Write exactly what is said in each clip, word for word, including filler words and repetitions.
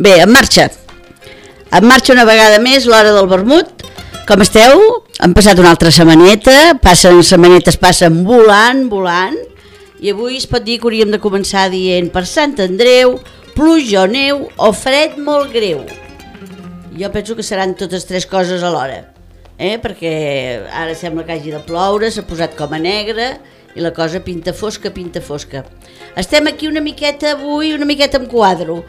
Bé, en marxa. En marxa una vegada més l'hora del vermut. Com esteu? Han passat una altra setmaneta, passen setmanetes, passen volant, volant, i avui es pot dir que hauríem de començar dient per Sant Andreu, pluja o neu o fred molt greu. Jo penso que seran totes tres coses alhora, eh? Perquè ara sembla que hagi de ploure, s'ha posat com a negre i la cosa pinta fosca, pinta fosca. Estem aquí una miqueta avui, una miqueta en quadro.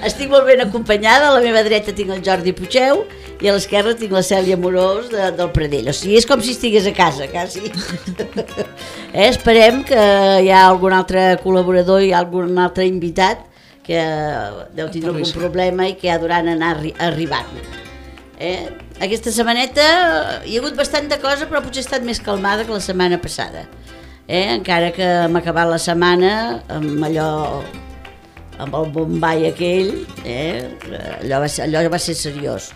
Estic molt ben acompanyada, a la meva dreta tinc el Jordi Puigeu i a l'esquerra tinc la Cèlia Morós de, del Pradell. O sigui, és com si estigués a casa, quasi. eh, esperem que hi ha algun altre col·laborador i algun altre invitat que deu tindre algun problema i que ha durant anar arri arribant. Eh? Aquesta setmaneta hi ha hagut bastanta cosa, però potser ha estat més calmada que la setmana passada. Eh? Encara que hem acabat la setmana amb allò, amb el bombai aquell, eh? allò, va ser, allò va ser seriós.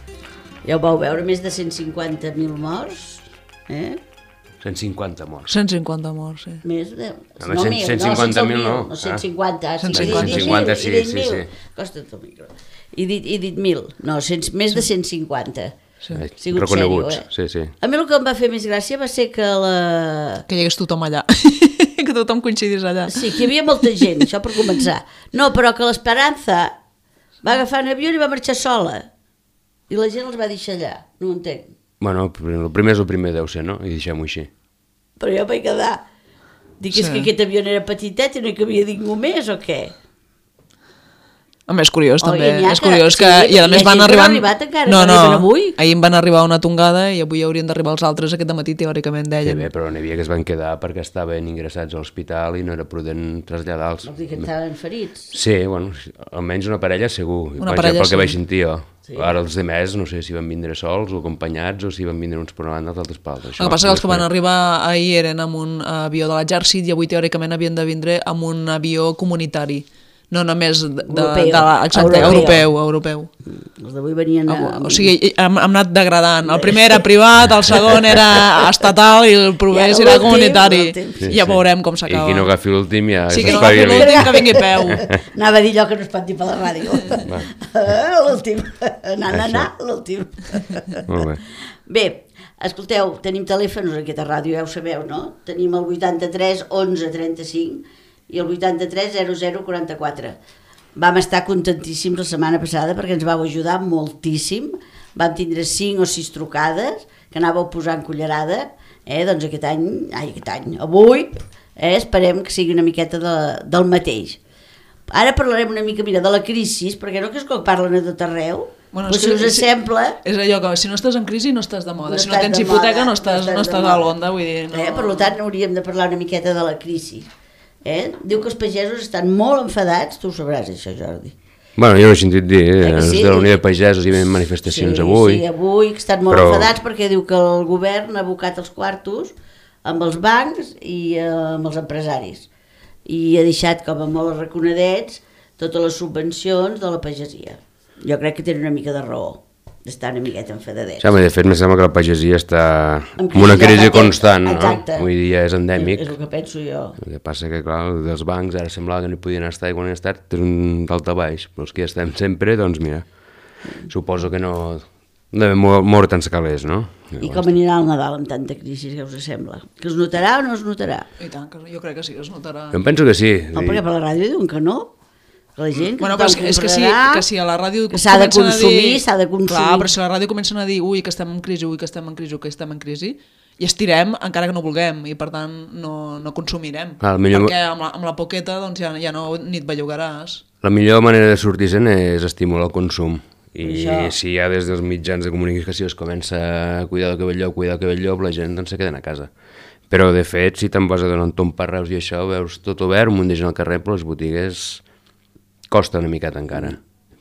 Ja ho vau veure, més de cent cinquanta mil morts. Eh? cent cinquanta morts. cent cinquanta morts, sí. Més de... No, no, cent cinquanta mil no. No, cent cinquanta. cent cinquanta, sí, sí, sí. Costa el micro. He dit, he dit mil, no, cent, més de cent cinquanta. Sí. Sigut reconeguts, sèrio, eh? sí, sí. A mi el que em va fer més gràcia va ser que la... Que hi hagués tothom allà, que tothom coincidís allà. Sí, que hi havia molta gent, això per començar. No, però que l'Esperanza va agafar un avió i va marxar sola. I la gent els va deixar allà, no ho entenc. Bueno, el primer és el primer, deu ser, no? I deixem-ho així. Però jo vaig quedar... Dic, és Sí. que aquest avió era petitet i no hi cabia ningú més o què? A més, curiós, Oh, també. i n'hi ha És que- curiós que... sí, I a hi ha més gent van que no ha arribant... arribat encara, no, que no, arriben avui. ahir en van arribar una tongada i avui haurien d'arribar els altres aquest matí, teòricament, Sí, deien. bé, però n'hi havia que es van quedar perquè estaven ingressats a l'hospital i no era prudent traslladar-los. Vols dir que estaven ferits? Sí, bueno, almenys una parella segur, Una per parella, pel que sí. vaig sentir jo. Sí. Ara els demés, no sé si van vindre sols o acompanyats o si van vindre uns per una banda els altres per l'altra. El que passa que els que van arribar ahir eren amb un avió de l'exèrcit i avui teòricament havien de vindre amb un avió comunitari. No només de, de, Europeu. de la, exacte, Europeu. europeu, europeu. Els d'avui venien a... O sigui, hem, hem anat degradant. El primer era privat, el segon era estatal i el proper I ara serà l'últim, comunitari. l'últim. Sí, I ja sí. veurem com I s'acaba. qui no agafi l'últim ja Sí, que no s'espavili. agafi l'últim, que vingui a peu. Anava a dir allò que no es pot dir per la ràdio. L'últim. Anar, anar, anar, l'últim. Molt bé. Bé, escolteu, tenim telèfons a aquesta ràdio, ja ho sabeu, no? Tenim el vuitanta-tres onze trenta-cinc i el vuitanta-tres zero zero quaranta-quatre. Vam estar contentíssims la setmana passada perquè ens vau ajudar moltíssim. Vam tindre cinc o sis trucades que anàveu posant cullerada. Eh? Doncs aquest any, ai, aquest any, avui, eh, esperem que sigui una miqueta de, del mateix. Ara parlarem una mica, mira, de la crisi, perquè no que és que parlen a tot arreu. Bueno, Però és si que- us sembla... És allò que si no estàs en crisi no estàs de moda. No si no estàs tens de hipoteca moda, no estàs, no no estàs de estàs a moda. l'onda, vull dir... No. Eh? Per tant, hauríem de parlar una miqueta de la crisi. Eh? Diu que els pagesos estan molt enfadats, tu ho sabràs això, Jordi. Bueno, jo no he sentit dir, Eh eh? que sí? Els de la Unió de Pagesos hi havia manifestacions sí, avui. Sí, avui que estan molt Però- enfadats perquè diu que el govern ha abocat els quartos amb els bancs i eh, amb els empresaris. I ha deixat com a molt arraconadets totes les subvencions de la pagesia. Jo crec que tenen una mica de raó d'estar una miqueta enfadadets. Sí, home, de fet, em sembla que la pagesia està En en una crisi crisi ja fa constant, temps. no? Exacte. Avui dia és endèmic. És, és el que penso jo. El que passa que, clar, dels bancs ara semblava que no hi podien estar i quan hi han estat és un d'alta baix, però els que hi estem sempre, doncs mira, suposo que no devem moure tants calés, no? I com anirà el Nadal amb tanta crisi, què us sembla? Que es notarà o no es notarà? I tant, que jo crec que sí, es notarà. Jo em penso que sí. No, perquè per la ràdio diuen que no. Que la gent que Bueno, tothom però és que, és que, si, comprarà, que si a la ràdio que s'ha de comencen a consumir, dir- s'ha de consumir. Clar, però si a la ràdio comencen a dir ui, que estem en crisi, ui, que estem en crisi, ui, que estem en crisi, i estirem encara que no vulguem, i per tant no, no consumirem. Clar, millor- Perquè amb la, amb la poqueta doncs, ja, ja no ni et bellugaràs. La millor manera de sortir-se'n és estimular el consum. I Això. si ja des dels mitjans de comunicació es comença a cuidar del cabell llop, cuidar del cabell llop, la gent doncs se queden a casa. Però de fet, si te'n vas a donar un tomb per Reus i això, veus tot obert, un munt de gent al carrer, però les botigues costa una miqueta encara.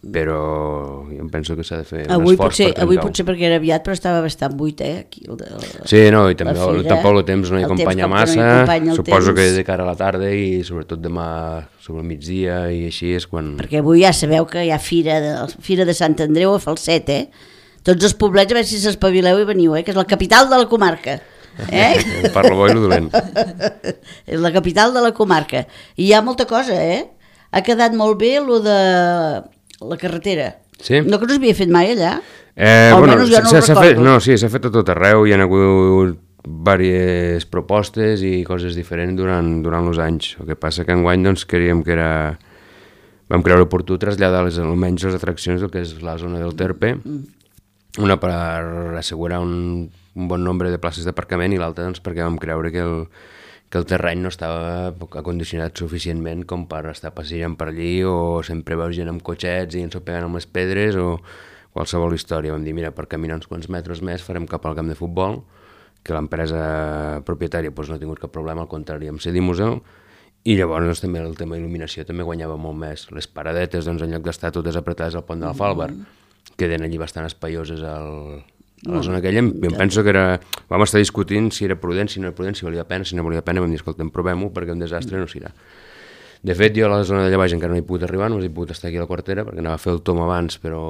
Però jo em penso que s'ha de fer un Avui esforç potser, per avui trencar-ho. potser perquè era aviat, però estava bastant buit, eh? Aquí, el, el, Sí, no, i també la el, fira, tampoc el temps no hi el temps acompanya com que no hi massa, acompanya el suposo temps. que de cara a la tarda i sobretot demà sobre el migdia i així és quan... perquè avui ja sabeu que hi ha fira de, fira de Sant Andreu a Falset, eh? Tots els poblets, a veure si s'espavileu i veniu, eh? Que és la capital de la comarca. Eh? Per lo bo i lo dolent. És la capital de la comarca. I hi ha molta cosa, eh? ha quedat molt bé lo de la carretera. Sí? No que no s'havia fet mai allà? Eh, bueno, Almenys jo no ho s'ha fet, recordo. no, sí, s'ha fet a tot arreu, hi ha hagut diverses propostes i coses diferents durant, durant els anys. El que passa que enguany doncs, creiem que era... Vam creure oportú traslladar les, almenys les atraccions del que és la zona del Terpe, una per assegurar un, un bon nombre de places d'aparcament i l'altra doncs, perquè vam creure que el, que el terreny no estava acondicionat suficientment com per estar passejant per allí o sempre veus gent amb cotxets i ensopegant amb les pedres o qualsevol història. Vam dir, mira, per caminar uns quants metres més farem cap al camp de futbol, que l'empresa propietària doncs, no ha tingut cap problema, al contrari, amb cedir-nos-el, i llavors doncs, també el tema d'il·luminació també guanyava molt més. Les paradetes, doncs, en lloc d'estar totes apretades al pont de la Fàlbar, queden allí bastant espaioses al, a la zona aquella. Em penso que era... Vam estar discutint si era prudent, si no era prudent, si valia la pena, si no valia la pena, vam dir, escolta, provem-ho perquè un desastre no serà. De fet, jo a la zona d'allà baix encara no he pogut arribar, no he pogut estar aquí a la quartera perquè anava a fer el tom abans, però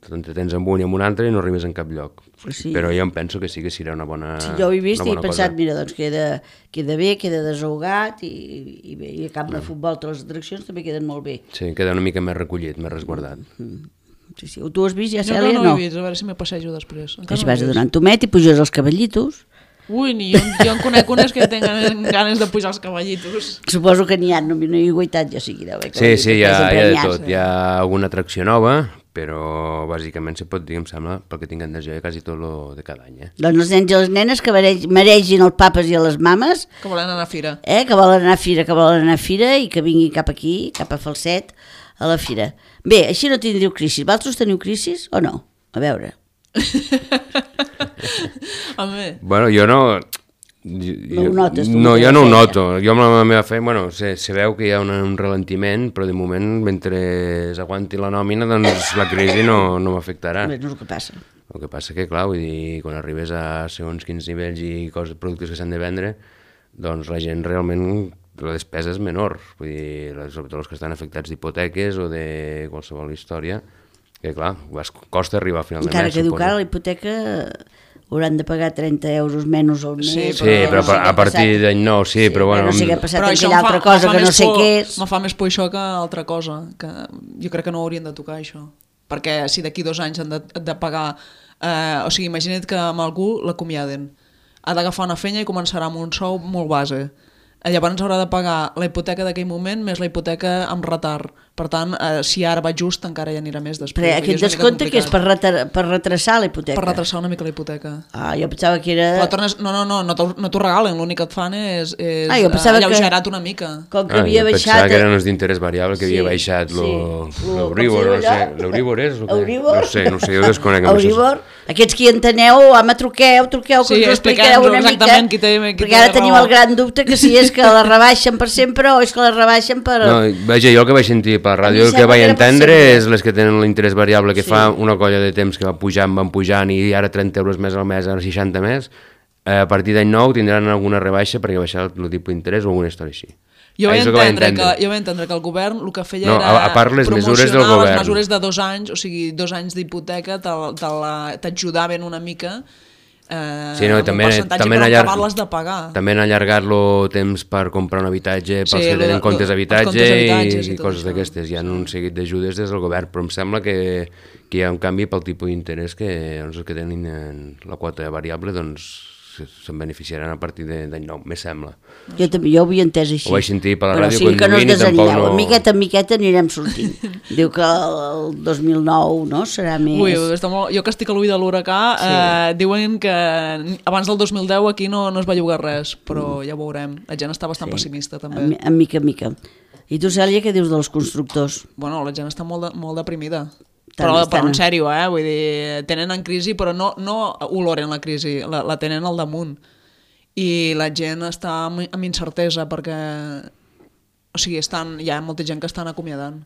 t'entretens amb un i amb un altre i no arribes en cap lloc. Sí. Però jo em penso que sí que serà una bona Sí, jo ho he vist i he pensat, cosa. mira, doncs queda, queda bé, queda desahogat i, i bé, i a camp de futbol totes les atraccions també queden molt bé. Sí, queda una mica més recollit, més resguardat. Sí, sí. Tu has vist ja, Jo Cèlia? no, no, No. ho he vist, a veure si me passejo després. Encara Així no ho he vas a vist. donar en tomet i puges els cavallitos. Ui, ni jo, jo en conec unes que tenen ganes de pujar els cavallitos. Suposo que n'hi ha, no, no hi he guaitat, ja sigui deu haver Sí, sí, hi ha, hi ha de premiats. tot. Hi ha alguna atracció nova, però bàsicament se pot dir, em sembla, pel que tinc entès jo, quasi tot lo de cada any. Eh? Doncs els nens i les nenes que mereix- mereixin els papes i a les mames, Que volen anar a fira. eh, que volen anar a fira, que volen anar a fira i que vinguin cap aquí, cap a Falset, a la fira. Bé, així no tindríeu crisis. Vosaltres teniu crisis o no? A veure. Home, Bueno, jo no... No ho notes, tu, No, amb jo la no ho feina. noto. Jo amb la meva feina, bueno, se, se veu que hi ha una, un ralentiment, però de moment, mentre aguanti la nòmina, doncs la crisi no, no m'afectarà. Bé, no és el que passa. El que passa que, clar, vull dir, quan arribes a segons quins nivells i coses, productes que s'han de vendre, doncs la gent realment, la despesa és menor. Vull dir, sobretot els que estan afectats d'hipoteques o de qualsevol història, que clar, costa arribar a final de Encara mes, que diu suposo. que ara la hipoteca hauran de pagar trenta euros menys al mes. Sí, Sí, però no sé a, què a ha partir passat. d'any nou, sí, però bueno... No sé què ha passat però amb això aquella em fa, altra cosa em fa que no més sé por, què és. me fa més por això que altra cosa, que jo crec que no haurien de tocar això, perquè si d'aquí dos anys han de, de pagar, eh, o sigui, imagina't que amb algú l'acomiaden, ha d'agafar una feina i començarà amb un sou molt base, llavors haurà de pagar la hipoteca d'aquell moment més la hipoteca amb retard. Per tant, eh, si ara va just, encara hi anirà més després. Però Vull dir, aquest és una mica descompte que és per, complicat. retar, per retrasar la hipoteca. Per retrasar una mica la hipoteca. Ah, jo pensava que era... Però tornes, no, no, no, no t'ho no t'ho regalen, l'únic que et fan és, és Ah, jo pensava que- alleugerat una mica. Com que Ah, havia jo baixat... pensava que eren els d'interès variable, que havia Sí, baixat sí. lo- Lo- l'Euríbor, com no se sé. diu allò? L'Euríbor és? O què? Euríbor? No sé, no sé, jo desconec. amb això. Euribor. Aquests que hi enteneu, home, truqueu, truqueu, que Sí, us ho explicareu expliquem-nos una mica. exactament qui té- qui perquè té ara tenim raó. el gran dubte que si és que la rebaixen per sempre o és que la rebaixen per... No, vaja, jo el que vaig sentir per la A mi ràdio, el que sembla vaig que era per entendre sempre. és les que tenen l'interès variable, que Sí. fa una colla de temps que va pujant, van pujant i ara trenta euros més al mes, ara seixanta més, eh, a partir d'any nou tindran alguna rebaixa perquè baixar el tipus d'interès o alguna història així. Jo Ah, vaig és el que vaig entendre, que, entendre. jo vaig entendre que el govern el que feia No, era a- a part les mesures del promocionar govern. les mesures de dos anys, o sigui, dos anys d'hipoteca te- te la- t'ajudaven una mica eh, Sí, no, amb també, un percentatge també, per han allar- acabar-les de pagar. també han allargat-lo temps per comprar un habitatge pels Sí, que lo tenen de- comptes lo- d'habitatge els comptes d'habitatges i, i tot coses això. d'aquestes. Hi ha un seguit d'ajudes des del govern, però em sembla que, que hi ha un canvi pel tipus d'interès que doncs, els que tenen la quota variable doncs se- se'n beneficiaran a partir de- d'any nou, me sembla. Jo també, jo ho havia entès així. Ho vaig sentir per la Però ràdio o sigui que no us conduint i tampoc desanimeu, no- a miqueta en miqueta anirem sortint. Diu que el, el dos mil nou no, serà més... Ui, està molt... Jo que estic a l'ull de l'huracà, sí. eh, diuen que abans del dos mil deu aquí no, no es va llogar res, però ja ho veurem. La gent està bastant sí. pessimista, també. En, en mica en mica. I tu, Cèlia, què dius dels constructors? Bueno, la gent està molt, de, molt deprimida. Tant, Però, tant. però en sèrio, eh? Vull dir, tenen en crisi, però no, no oloren la crisi, la, la tenen al damunt. I la gent està amb, amb incertesa perquè o sigui, estan, hi ha molta gent que estan acomiadant.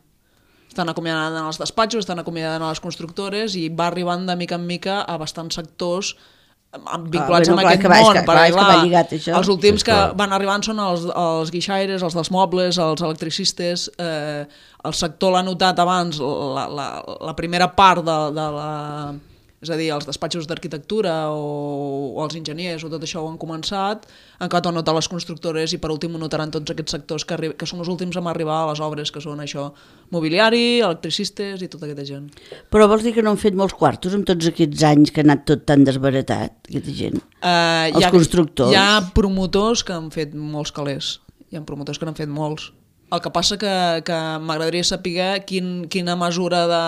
Estan acomiadant en els despatxos, estan acomiadant a les constructores i va arribant de mica en mica a bastants sectors amb- vinculats Ah, bueno, amb clar, aquest que va, és món. que- clar, és que va lligat, això. Els últims Sí, que clar. van arribant són els, els guixaires, els dels mobles, els electricistes. Eh, el sector l'ha notat abans, la, la, la primera part de, de la És a dir, els despatxos d'arquitectura o, o els enginyers o tot això ho han començat, han acabat ho notar les constructores i per últim ho notaran tots aquests sectors que, arri- que són els últims a arribar a les obres, que són això, mobiliari, electricistes i tota aquesta gent. Però vols dir que no han fet molts quartos amb tots aquests anys que ha anat tot tan desbaratat, aquesta gent? Uh, Els hi ha, constructors. Hi ha promotors que han fet molts calés. Hi ha promotors que n'han fet molts. El que passa que, que m'agradaria saber quin, quina mesura de...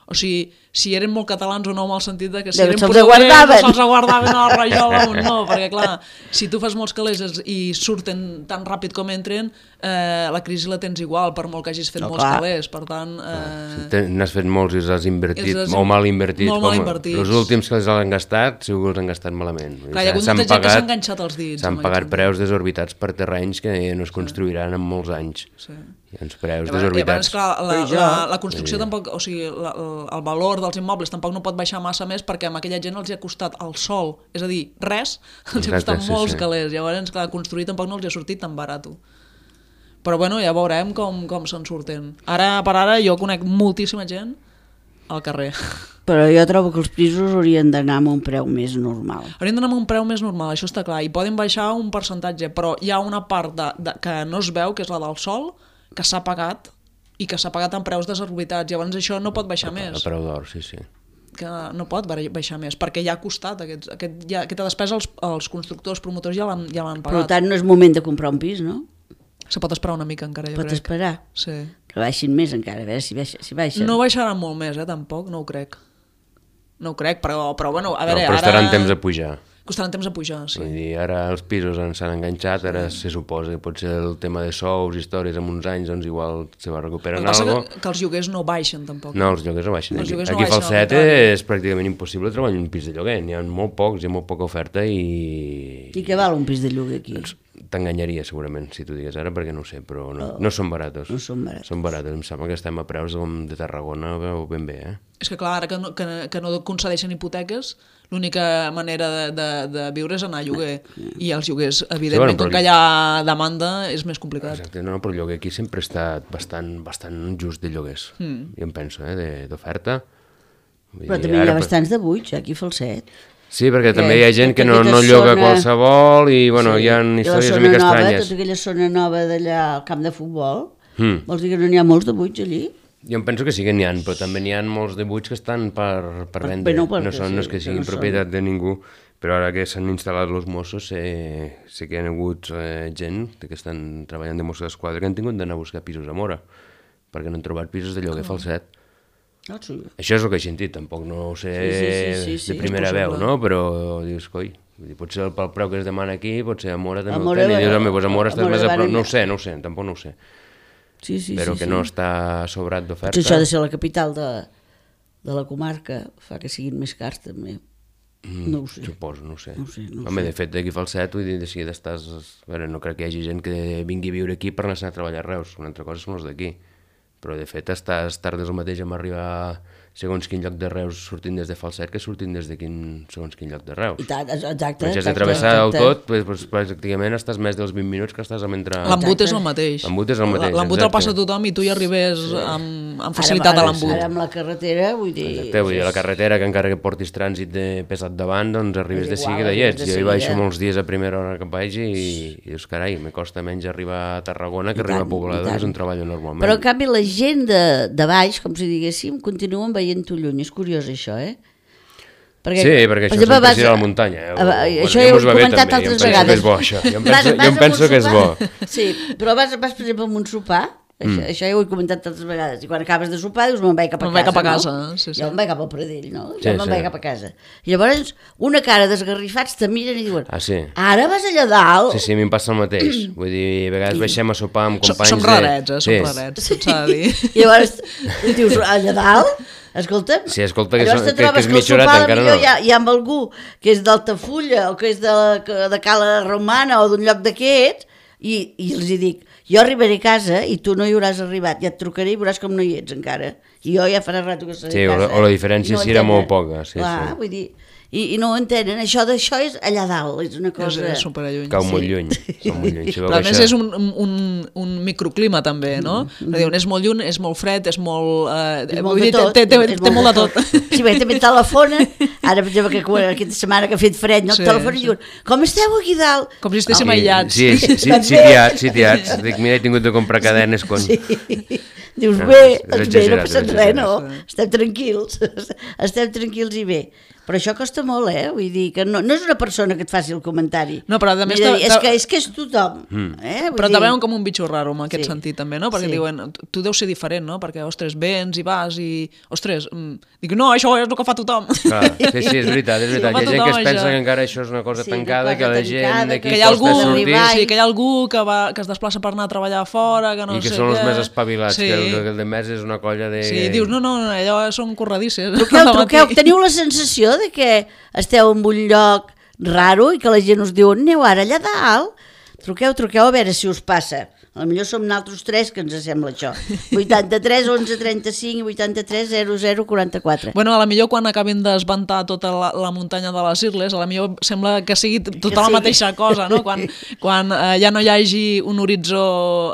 O sigui, si eren molt catalans o no, en el sentit de que si Deu, eren se'ls portuguesos guardaven. se'ls guardaven a la rajola o no, perquè clar, si tu fas molts calés i surten tan ràpid com entren, eh, la crisi la tens igual, per molt que hagis fet No, molts clar. calés, per tant... Eh, Si n'has fet molts i els has invertit, Els has molt mal invertit. molt mal com invertits. Els últims que els han gastat, segur que els han gastat malament. Vull dir, Clar, hi ha hagut s'han molta gent que s'ha pagat- enganxat els dits. S'han amb pagat aquest preus desorbitats per terrenys que no es construiran en molts anys. Sí. Hi ha uns preus I a vegades, desorbitats. clar, la, Però jo- la, la construcció tampoc, o sigui, la, el valor dels immobles tampoc no pot baixar massa més perquè a aquella gent els hi ha costat el sol, és a dir, res, els hi ha Exacte, costat sí, molts sí. calés, llavors, clar, construir tampoc no els hi ha sortit tan barat. Però bueno, ja veurem com, com se'n surten. Ara per ara jo conec moltíssima gent al carrer. Però jo trobo que els pisos haurien d'anar amb un preu més normal. Haurien d'anar amb un preu més normal, això està clar, i poden baixar un percentatge, però hi ha una part de, de, que no es veu, que és la del sol, que s'ha pagat i que s'ha pagat amb preus desorbitats, llavors això no pot baixar A més. preu d'or, sí, sí. Que no pot baixar més, perquè ja ha costat aquests, aquest, ja, aquesta despesa els, els constructors, promotors ja l'han ja l'han Per pagat. tant, no és moment de comprar un pis, no? Se pot esperar una mica encara, jo Pots crec. esperar Sí. que baixin més encara, a veure si, baixa, si baixen. No baixaran molt més, eh, tampoc, no ho crec. No ho crec, però, però bueno, a No, veure, però ara... estaran temps a pujar. Costaran temps a pujar, sí. Vull dir, ara els pisos ens s'han enganxat, ara se suposa que pot ser el tema de sous, històries, en uns anys, doncs igual se va El recuperar que passa algo. que, que els lloguers no baixen, tampoc. No, els lloguers no baixen. Els Aquí, lloguers no aquí a baixen, al Falset contrari. és pràcticament impossible treballar en un pis de lloguer. N'hi ha molt pocs, hi ha molt poca oferta i... I què val un pis de lloguer aquí? T'enganyaria segurament si t'ho digués ara, perquè no ho sé, però no, no són baratos. No són baratos. Són baratos. Em sembla que estem a preus com de Tarragona o ben bé, eh? És que clar, ara que no, que, que no concedeixen hipoteques, l'única manera de, de, de viure és anar a lloguer. I els lloguers, evidentment, Sí, bueno, com però- que hi ha demanda, és més complicat. Exacte, no, però el lloguer aquí sempre ha estat bastant, bastant just de lloguers. Mm. Jo em penso, eh, de- d'oferta. Vull Però dir, també hi ara- ha bastants de buits, aquí a Falset. Sí, perquè Que també hi ha gent que tota no, aquella no lloga zona- qualsevol i, bueno, hi ha I la històries zona una mica nova, estranyes. tota aquella zona nova d'allà al camp de futbol, Mm. vols dir que no n'hi ha molts de buits allí? Jo em penso que sí que n'hi ha, però també n'hi ha molts de buits que estan per, per vendre. Bé, no, perquè no, són, no és sí, que que siguin no són. propietat de ningú, però ara que s'han instal·lat els Mossos, sé, sé que hi ha hagut eh, gent que estan treballant de Mossos d'Esquadra que han tingut d'anar a buscar pisos a Mora, perquè no han trobat pisos de lloguer a Falset. Ah, sí. Això és el que he sentit, tampoc no ho sé Sí, sí, sí, sí, sí, de primera és veu, possible. no? Però dius, coi, vull dir, potser pel preu que es demana aquí, potser a Mora també A ho Móra tenen. I va- dius, home, doncs a Mora a estàs Móra més a van prop. No anar. ho sé, no ho sé, tampoc no ho sé. Sí, sí, Però sí, que sí. no està sobrat d'oferta. Potser això ha de ser la capital de, de la comarca, fa que siguin més cars també. Mm, No ho sé. Suposo, no ho sé. No ho sé, no ho Home, sé. de fet, d'aquí a Falset, vull dir, de seguida estàs... A veure, no crec que hi hagi gent que vingui a viure aquí per anar a treballar a Reus. Una altra cosa són els d'aquí. Però, de fet, estàs tardes el mateix amb arribar segons quin lloc de Reus sortint des de Falset que sortint des de quin, segons quin lloc de Reus. I tant, exacte. Però si has de exacte, travessar-ho exacte. tot, doncs, doncs, pràcticament estàs més dels vint minuts que estàs a mentre... L'embut és el mateix. L'embut és el mateix, L'embut el exacte. passa tothom i tu hi arribes amb, amb facilitat Ara, a ara, l'embut. Ara amb la carretera, vull dir... Exacte, vull dir, la carretera, que encara que portis trànsit de pesat davant, doncs arribes És de igual, seguida i arribes ets. de Jo hi baixo seguida. molts dies a primera hora que vaig i, i dius, carai, me costa menys arribar a Tarragona que I arribar tant, a Pobledo, i que és tant. on treballo normalment. Però en canvi la gent de, de baix, com si diguéssim, continuen veient-ho lluny. És curiós això, eh? Perquè, Sí, perquè això sempre vas- és ir a la muntanya. Eh? a- a- Bueno, això ja ja ho mos he va bé comentat també, jo em altres penso que vegades. és bo, això. Jo em Vas- penso, vas jo em a penso un que és bo. sopar? Sí, però vas, vas per exemple, a un sopar, això, mm. això ja ho he comentat altres vegades, i quan acabes de sopar dius, me'n vaig cap a Me'n casa, vaig cap a no? casa, sí, sí. Jo me'n vaig cap al Pradell, no? Jo Sí, me'n sí. vaig cap a casa. I llavors, una cara d'esgarrifats te miren i diuen, Ah, sí? ara vas allà dalt? Sí, sí, a mi em passa el mateix. Vull dir, a vegades baixem a sopar amb Som, companys... som de- rarets, eh? Som Sí. rarets, tot s'ha de dir. I llavors dius, allà dalt? Escolta'm, Sí, escolta, que llavors són- te que- trobes que és que el mitja horeta, sopar encara millor no. hi ha, hi ha amb algú que és d'Altafulla o que és de, la- que- de Cala Romana o d'un lloc d'aquests i, i els hi dic, jo arribaré a casa i tu no hi hauràs arribat, ja et trucaré i veuràs com no hi ets encara. I jo ja farà rato que seré Sí, a o la- casa. o la diferència I sí era entenen. molt poca, sí, Clar, sí. vull dir, i, i no ho entenen. Això d'això és allà dalt, és una cosa... És, és superalluny. Cau molt lluny, cau molt lluny. Si Però a més és un, un, un microclima també, no? Mm. Diuen, és molt lluny, és molt fred, és molt... Eh, és molt de tot. Té, té, té, té molt de tot. Sí, bé, també telefonen, ara per exemple que aquesta setmana que ha fet fred, no? Sí, telefonen i diuen, com esteu aquí dalt? Com si estéssim aïllats. Sí, sí, sí, sitiats, sitiats. Dic, mira, he tingut de comprar cadenes quan... Sí. Dius, bé, doncs bé, no passa res, no? Estem tranquils, estem tranquils i bé. Però això costa molt, eh? Vull dir que no, no és una persona que et faci el comentari. No, però a més... Dir, és, que, és que és tothom. Mm. Eh? Però te dir... veuen com un bitxo raro en aquest sí. sentit, també, no? Perquè sí. diuen, tu deus ser diferent, no? Perquè, ostres, vens i vas i... Ostres, mm... dic, no, això és el que fa tothom. Clar, sí, sí, és veritat, és veritat. Sí, hi ha gent que es pensa això. que encara això és una cosa sí, tancada, cosa que la gent d'aquí que hi ha algú, sí, que hi ha algú que, va, que es desplaça per anar a treballar fora, que no I que sé són què. els més espavilats, sí. que el, el de més és una colla de... Sí, dius, no, no, allò són corredisses. Truqueu, truqueu, teniu la sensació de que esteu en un lloc raro i que la gent us diu, aneu ara allà dalt, truqueu, truqueu a veure si us passa. Potser som nosaltres tres que ens sembla això. vuitanta-tres, onze, trenta-cinc i vuitanta-tres, zero, zero, quaranta-quatre. Bueno, a la millor quan acabin d'esventar tota la, la muntanya de les Irles, a la millor sembla que sigui tota que la sigui. mateixa cosa, no? Quan, quan eh, ja no hi hagi un horitzó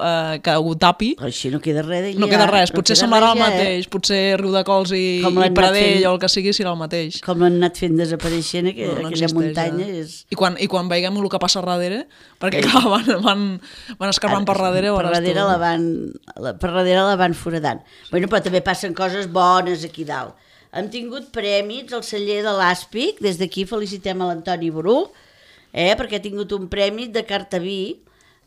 eh, que ho tapi. Però així no queda res. No queda res, potser no semblarà el mateix, eh? Potser Riudecols i, i Pradell fent, o el que sigui serà el mateix. Com l'han anat fent desapareixent aquella, no, no aquella existeix, muntanya. Ja. És... I, quan, I quan veiem el que passa a darrere, perquè clar, van, van, van escarbant per darrere, per darrere la van, la, per darrere la van foradant. Bueno, però també passen coses bones aquí dalt. Hem tingut prèmits al celler de l'Àspic, des d'aquí felicitem a l'Antoni Bru, eh, perquè ha tingut un premi de carta vi,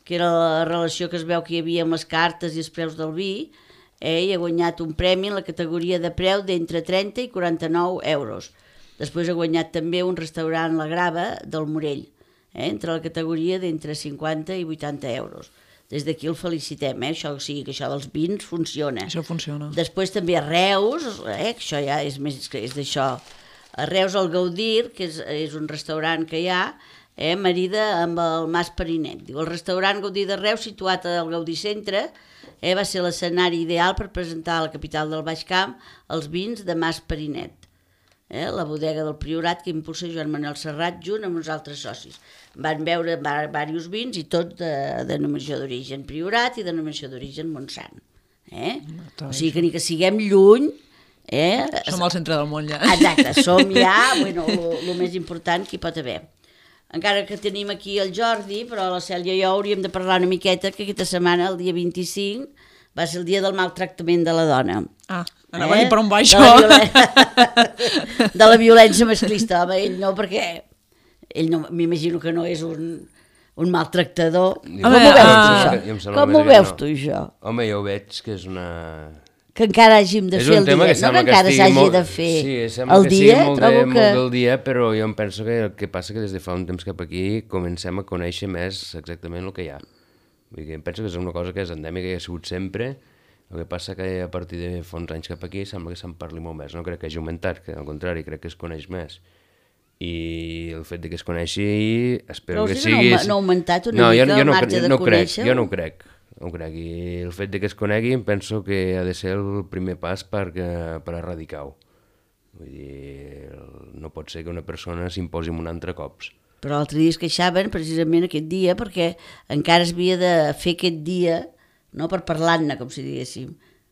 que era la relació que es veu que hi havia amb les cartes i els preus del vi, eh, i ha guanyat un premi en la categoria de preu d'entre trenta i quaranta-nou euros. Després ha guanyat també un restaurant La Grava del Morell, eh, entre la categoria d'entre cinquanta i vuitanta euros. Des d'aquí el felicitem, eh? Això, o sigui, que això dels vins funciona. Això funciona. Després també a Reus, eh? Que això ja és més que és d'això. A Reus el Gaudir, que és, és un restaurant que hi ha, eh? marida amb el Mas Perinet. Diu, el restaurant Gaudir de Reus, situat al Gaudí Centre, eh? va ser l'escenari ideal per presentar a la capital del Baix Camp els vins de Mas Perinet. Eh, la bodega del Priorat que impulsa Joan Manuel Serrat junt amb uns altres socis. Van veure diversos vins i tots de denominació d'origen Priorat i denominació d'origen Montsant. Eh? O sigui que ni que siguem lluny... Eh? Som al centre del món ja. Exacte, som ja bueno, el més important que hi pot haver. Encara que tenim aquí el Jordi, però la Cèlia i jo hauríem de parlar una miqueta que aquesta setmana, el dia vint-i-cinc, va ser el dia del maltractament de la dona. Ah, anava eh? a dir per on va això. De la, violen... de la violència masclista, home, ell no, perquè ell no, m'imagino que no és un, un maltractador. Jo Com ho veus, ah, això? Com ho veus no. tu, això? Home, jo ho veig que és una... Que encara hàgim de és fer el dia, que no que encara s'hagi molt... de fer sí, el que dia, molt trobo de, que... molt del dia, però jo em penso que el que passa que des de fa un temps cap aquí comencem a conèixer més exactament el que hi ha. Vull dir, em penso que és una cosa que és endèmica i ha sigut sempre. El que passa que a partir de fa uns anys cap aquí sembla que se'n parli molt més. No crec que hagi augmentat, que al contrari, crec que es coneix més. I el fet de que es coneixi, espero Però que sigui... Però no ha augmentat una no, mica jo, jo el no, marge no, de no conèixer? Jo no ho crec, no ho crec. I el fet de que es conegui em penso que ha de ser el primer pas per, per erradicar-ho. Vull dir, no pot ser que una persona s'imposi un altre cops. Però l'altre dia es queixaven precisament aquest dia perquè encara es havia de fer aquest dia, no per parlar-ne, com si diguéssim,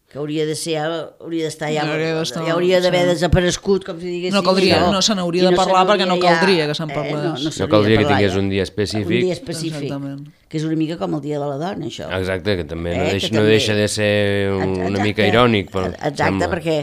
que hauria de ser, hauria d'estar ja, no hauria ja hauria d'haver sí. desaparegut, com si diguéssim. No caldria, no, no se n'hauria de no parlar perquè no caldria ja, que se'n parlés. Eh, no, no, no caldria que tingués ja. un dia específic. Un dia específic, Exactament. que és una mica com el dia de la dona, això. Exacte, que també eh, no, deixa, que no també... deixa de ser un, Exacte. una mica irònic. Però Exacte, sembla. perquè...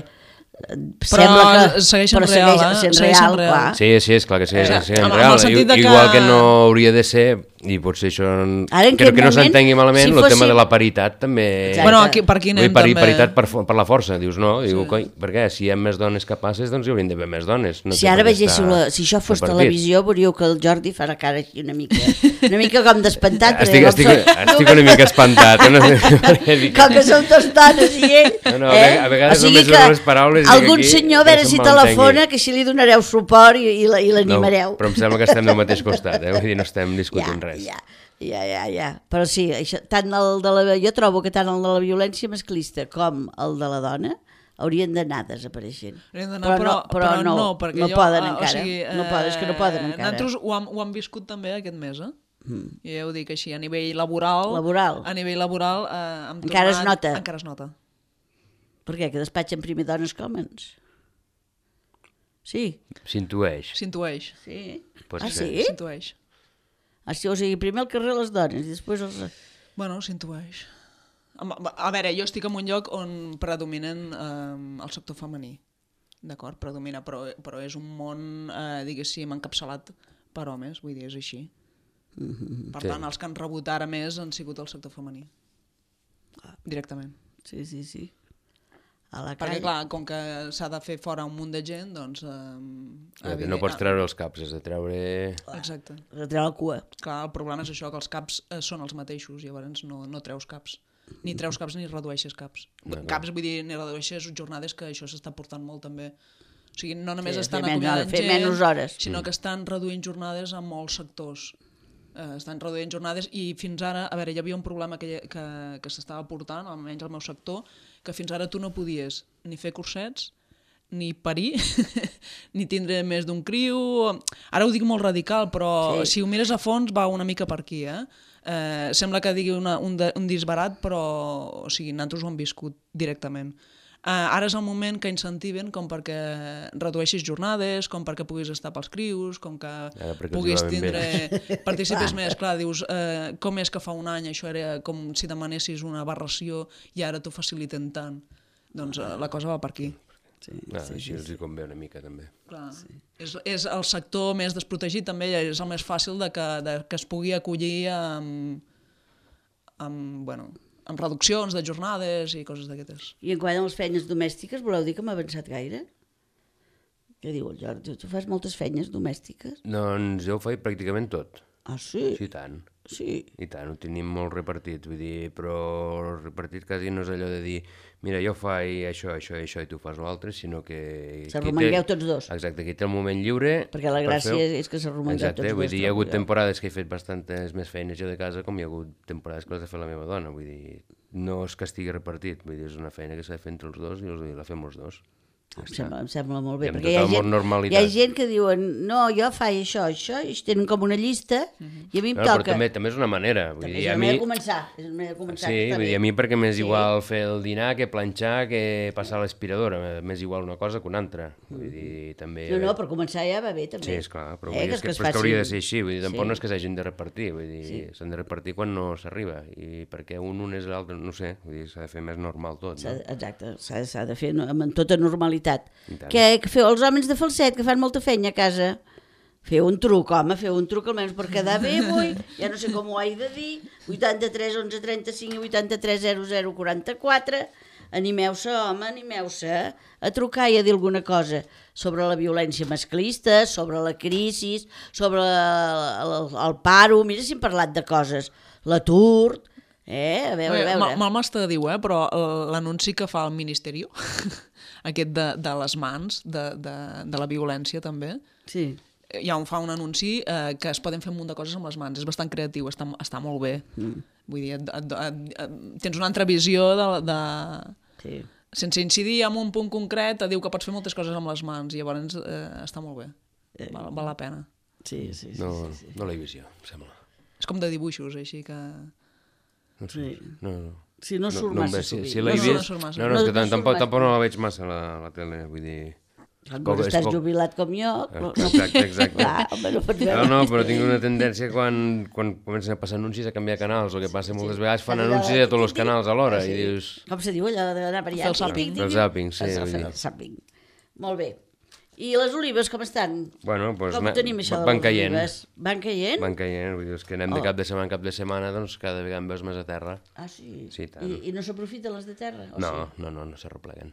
Però que, segueixen però real, segueix sent eh? real, real. clar. Sí, sí, és clar que segueixen eh, sent amb, real. amb I, igual que... que no hauria de ser, i potser això... Ara, crec que no s'entengui malament, si el fossi... tema de la paritat també... Exacte. Bueno, aquí, per aquí anem per, també. Paritat per, per la força, dius, no? Diu, sí. coi, per què? Si hi ha més dones capaces, doncs hi haurien d'haver més dones. No si ara vegéssiu, la, si això fos televisió, veuríeu que el Jordi farà cara així una mica, una mica com d'espantat. Estic, estic, estic una mica espantat. No sé, com que som dos dones i ell... No, no, eh? a vegades o sigui només les paraules... Algun aquí, senyor, a veure si telefona, que si li donareu suport i, i l'animareu. No, però em sembla que estem del mateix costat, eh? Vull dir, no estem discutint ja, res. Ja, ja, ja, ja. Però sí, això, tant el de la, jo trobo que tant el de la violència masclista com el de la dona, haurien d'anar desapareixent. Haurien d'anar, però, però, però, però no, no, perquè no jo, poden uh, encara. O sigui, uh, no poden, és que no poden encara. Nosaltres ho hem, ho hem viscut també aquest mes, eh? Mm. I ja ho dic així, a nivell laboral, laboral. a nivell laboral eh, hem encara tornat, es nota. Encara es nota. Per què? Que despatxen primer dones que homes? Sí. S'intueix. S'intueix. Sí. Pot ah, ser. sí? S'intueix. Ah, sí, o sigui, primer al carrer les dones i després els... Bueno, s'intueix. A veure, jo estic en un lloc on predominen eh, el sector femení. D'acord? Predomina, però, però és un món, eh, diguéssim, encapçalat per homes, vull dir, és així. Mm-hmm. Per sí. tant, els que han rebut ara més han sigut el sector femení. Ah. Directament. Sí, sí, sí. A la perquè, clar, com que s'ha de fer fora un munt de gent, doncs... Eh, evident... No pots treure els caps, has de treure... Exacte. Has de treure la cua. Clar, el problema és això, que els caps eh, són els mateixos, llavors no, no treus caps. Ni treus caps ni redueixes caps. No, no. Caps, vull dir, ni redueixes jornades, que això s'està portant molt també. O sigui, no només sí, estan acomiadant gent, menys hores. sinó que estan reduint jornades en molts sectors. Eh, estan reduint jornades i fins ara, a veure, hi havia un problema que, que, que s'estava portant, almenys al meu sector, que fins ara tu no podies ni fer cursets, ni parir, ni tindre més d'un criu... Ara ho dic molt radical, però sí. Si ho mires a fons va una mica per aquí, eh? Eh, sembla que digui una, un, de, un disbarat, però o sigui, nosaltres ho hem viscut directament. Eh, ara és el moment que incentiven com perquè redueixis jornades, com perquè puguis estar pels crius, com que puguis tindre... Participes més, clar, dius, eh, com és que fa un any això era com si demanessis una aberració i ara t'ho faciliten tant. Doncs eh, la cosa va per aquí. Sí, ah, sí, així sí, els hi convé una mica també. Clar, sí. és, és el sector més desprotegit també, és el més fàcil de que, de, que es pugui acollir amb, amb, bueno, amb reduccions de jornades i coses d'aquestes. I en quant a les feines domèstiques, voleu dir que m'ha avançat gaire? Què diu el Jordi? Tu fas moltes feines domèstiques? Doncs jo ho faig pràcticament tot. Ah, sí? Sí, tant. Sí. I tant, ho tenim molt repartit, vull dir, però repartit quasi no és allò de dir mira, jo faig això, això, això i tu fas l'altre, sinó que... S'arromangueu tots dos. Exacte, aquí té el moment lliure... Perquè la gràcia per és que s'arromangueu tots dos. Exacte, vull dir, hi ha hagut temporades que he fet bastantes més feines jo de casa com hi ha hagut temporades que les ha fet la meva dona, vull dir, no és que estigui repartit, vull dir, és una feina que s'ha de fer entre els dos i la fem els dos. Em sembla, em sembla molt bé, I perquè hi ha, gent, hi ha gent que diuen no, jo faig això, això, i tenen com una llista uh-huh. i a mi em no, toca... Però també, també és una manera. Vull també dir, és una a mi... manera de començar. És una manera de començar sí, vull dir, a mi perquè m'és sí. igual fer el dinar que planxar, que passar l'aspiradora, m'és igual una cosa que una altra. Vull dir, també... No, no, per començar ja va bé, també. Sí, esclar, però, eh, vull dir, que, és que, que però és que hauria de ser així, vull dir, tampoc sí. no és que s'hagin de repartir, vull dir, s'han sí. de repartir quan no s'arriba, i perquè un un és l'altre, no sé, vull dir, s'ha de fer més normal tot, no? Exacte, s'ha de fer amb tota normalitat. Què feu els homes de falset, que fan molta feina a casa? Feu un truc, home, feu un truc almenys per quedar bé avui, ja no sé com ho he de dir, vuitanta-tres onze trenta-cinc i vuitanta-tres zero zero quaranta-quatre, animeu-se, home, animeu-se a trucar i a dir alguna cosa sobre la violència masclista, sobre la crisi, sobre el, el, el paro, mira si hem parlat de coses, l'atur, eh, a veure, a veure. Mal m'està de dir, eh, però l'anunci que fa el Ministeri, aquest de, de les mans, de, de, de la violència també, sí. ja on fa un anunci eh, que es poden fer un munt de coses amb les mans, és bastant creatiu, està, està molt bé. Mm. Vull dir, et, et, et, et, tens una altra visió de... de... Sí. Sense incidir en un punt concret, et diu que pots fer moltes coses amb les mans, i llavors eh, està molt bé, eh. val, val la pena. Sí, sí, sí. No, sí, sí. no l'he vist jo, em sembla. És com de dibuixos, així que... No sé, sí. no, no. Si no surt no, massa sovint. Si, si l'he no, vist... No, no, no, no, és que no, tampoc, tampoc no la veig massa a la, la tele, vull dir... Quan estàs poc... jubilat com jo... Exacte, exacte. Clar, home, no, no, no, però tinc una tendència quan, quan comencen a passar anuncis a canviar canals, o que passa moltes sí. vegades fan anuncis a tots els canals alhora, sí. i dius... Com se diu allò d'anar per allà? Fer el zàping. Fer el zàping, sí. El zàping. Molt bé. I les olives com estan? Bueno, pues, com ho tenim això de van les caient. olives? Van caient? Van caient, vull dir, és que anem oh. de cap de setmana en cap de setmana, doncs cada vegada en veus més a terra. Ah, sí? Sí, tant. I, i no s'aprofiten les de terra? O no, sí? no, no, no s'arrepleguen.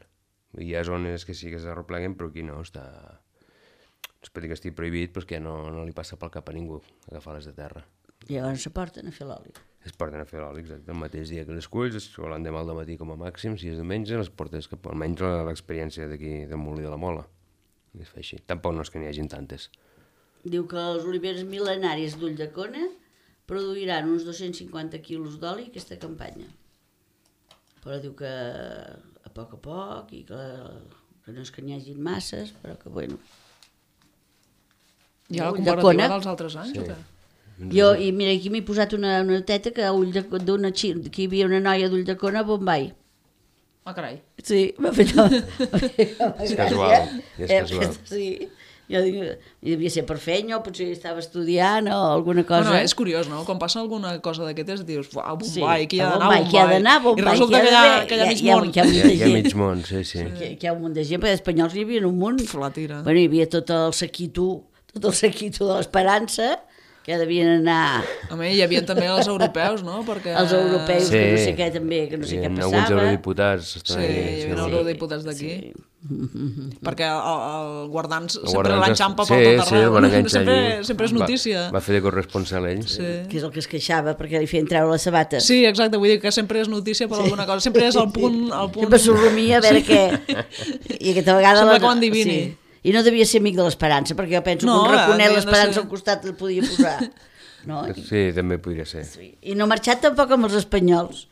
Hi ha zones que sí que s'arrepleguen, però aquí no, està... No es pot dir que estigui prohibit, però és que no, no li passa pel cap a ningú agafar les de terra. I llavors se porten a fer l'oli. Es porten a fer l'oli, exacte. El mateix dia que les culls, o l'endemà al matí com a màxim, si és diumenge, les portes cap almenys l'experiència d'aquí del Molí de la Mola. I es fa així. Tampoc no és que n'hi hagin tantes. Diu que les oliveres mil·lenàries d'Ulldecona produiran uns dos-cents cinquanta quilos d'oli aquesta campanya. Però diu que poc a poc, i que, que no és que n'hi hagin masses, però que, bueno... Hi ha la Ull de comparativa Cona. dels altres anys, Sí. o què? Jo, i mira, aquí m'he posat una, una teta que a ull de, d'una xi- que hi havia una noia d'ull de Cona a Bombay. Ah, carai. Sí, m'ha fet... És casual, és Eh, casual. Sí, jo dic, i devia ser per feina, o potser estava estudiant o alguna cosa. Bueno, és curiós, no? Quan passa alguna cosa d'aquestes, dius, uau, Sí, Bombay, que hi ha a d'anar a Bombay, que hi ha Bombay. d'anar a Bombay, I resulta que que hi hi ha ha, d'haver- que hi ha hi ha- mig hi ha- món. hi ha- Hi ha, hi ha mig món, sí, sí. que, que hi ha un munt de gent, perquè d'espanyols hi havia un munt. Pf, la tira. Bueno, hi havia tot el sequito, tot el sequito de l'Esperança, que devien anar A mi hi havia també els europeus, no? Perquè... els europeus, Sí. que no sé què també, que no sé Hi què ha passava. alguns eurodiputats. Sí, estan hi ahí, havia sí. eurodiputats d'aquí. Perquè el, el guardans El sempre guardans- l'enxampa sí, per tot sí, arreu. el van enganxar sempre, allí. sempre és notícia. Va, va fer de corresponsal ell. Sí. Que és el que es queixava, perquè li feien treure les sabates. Sí, exacte, vull dir que sempre és notícia per alguna cosa, sempre és el punt... El punt... Sempre sorrumia a veure què... I aquesta vegada... Sembla la- que ho endevini. Sí. I no devia ser amic de l'Esperança, perquè jo penso No, que un raconet havien de l'Esperança ser- al costat el podia posar. No? Sí, també podria ser. I no ha marxat tampoc amb els espanyols,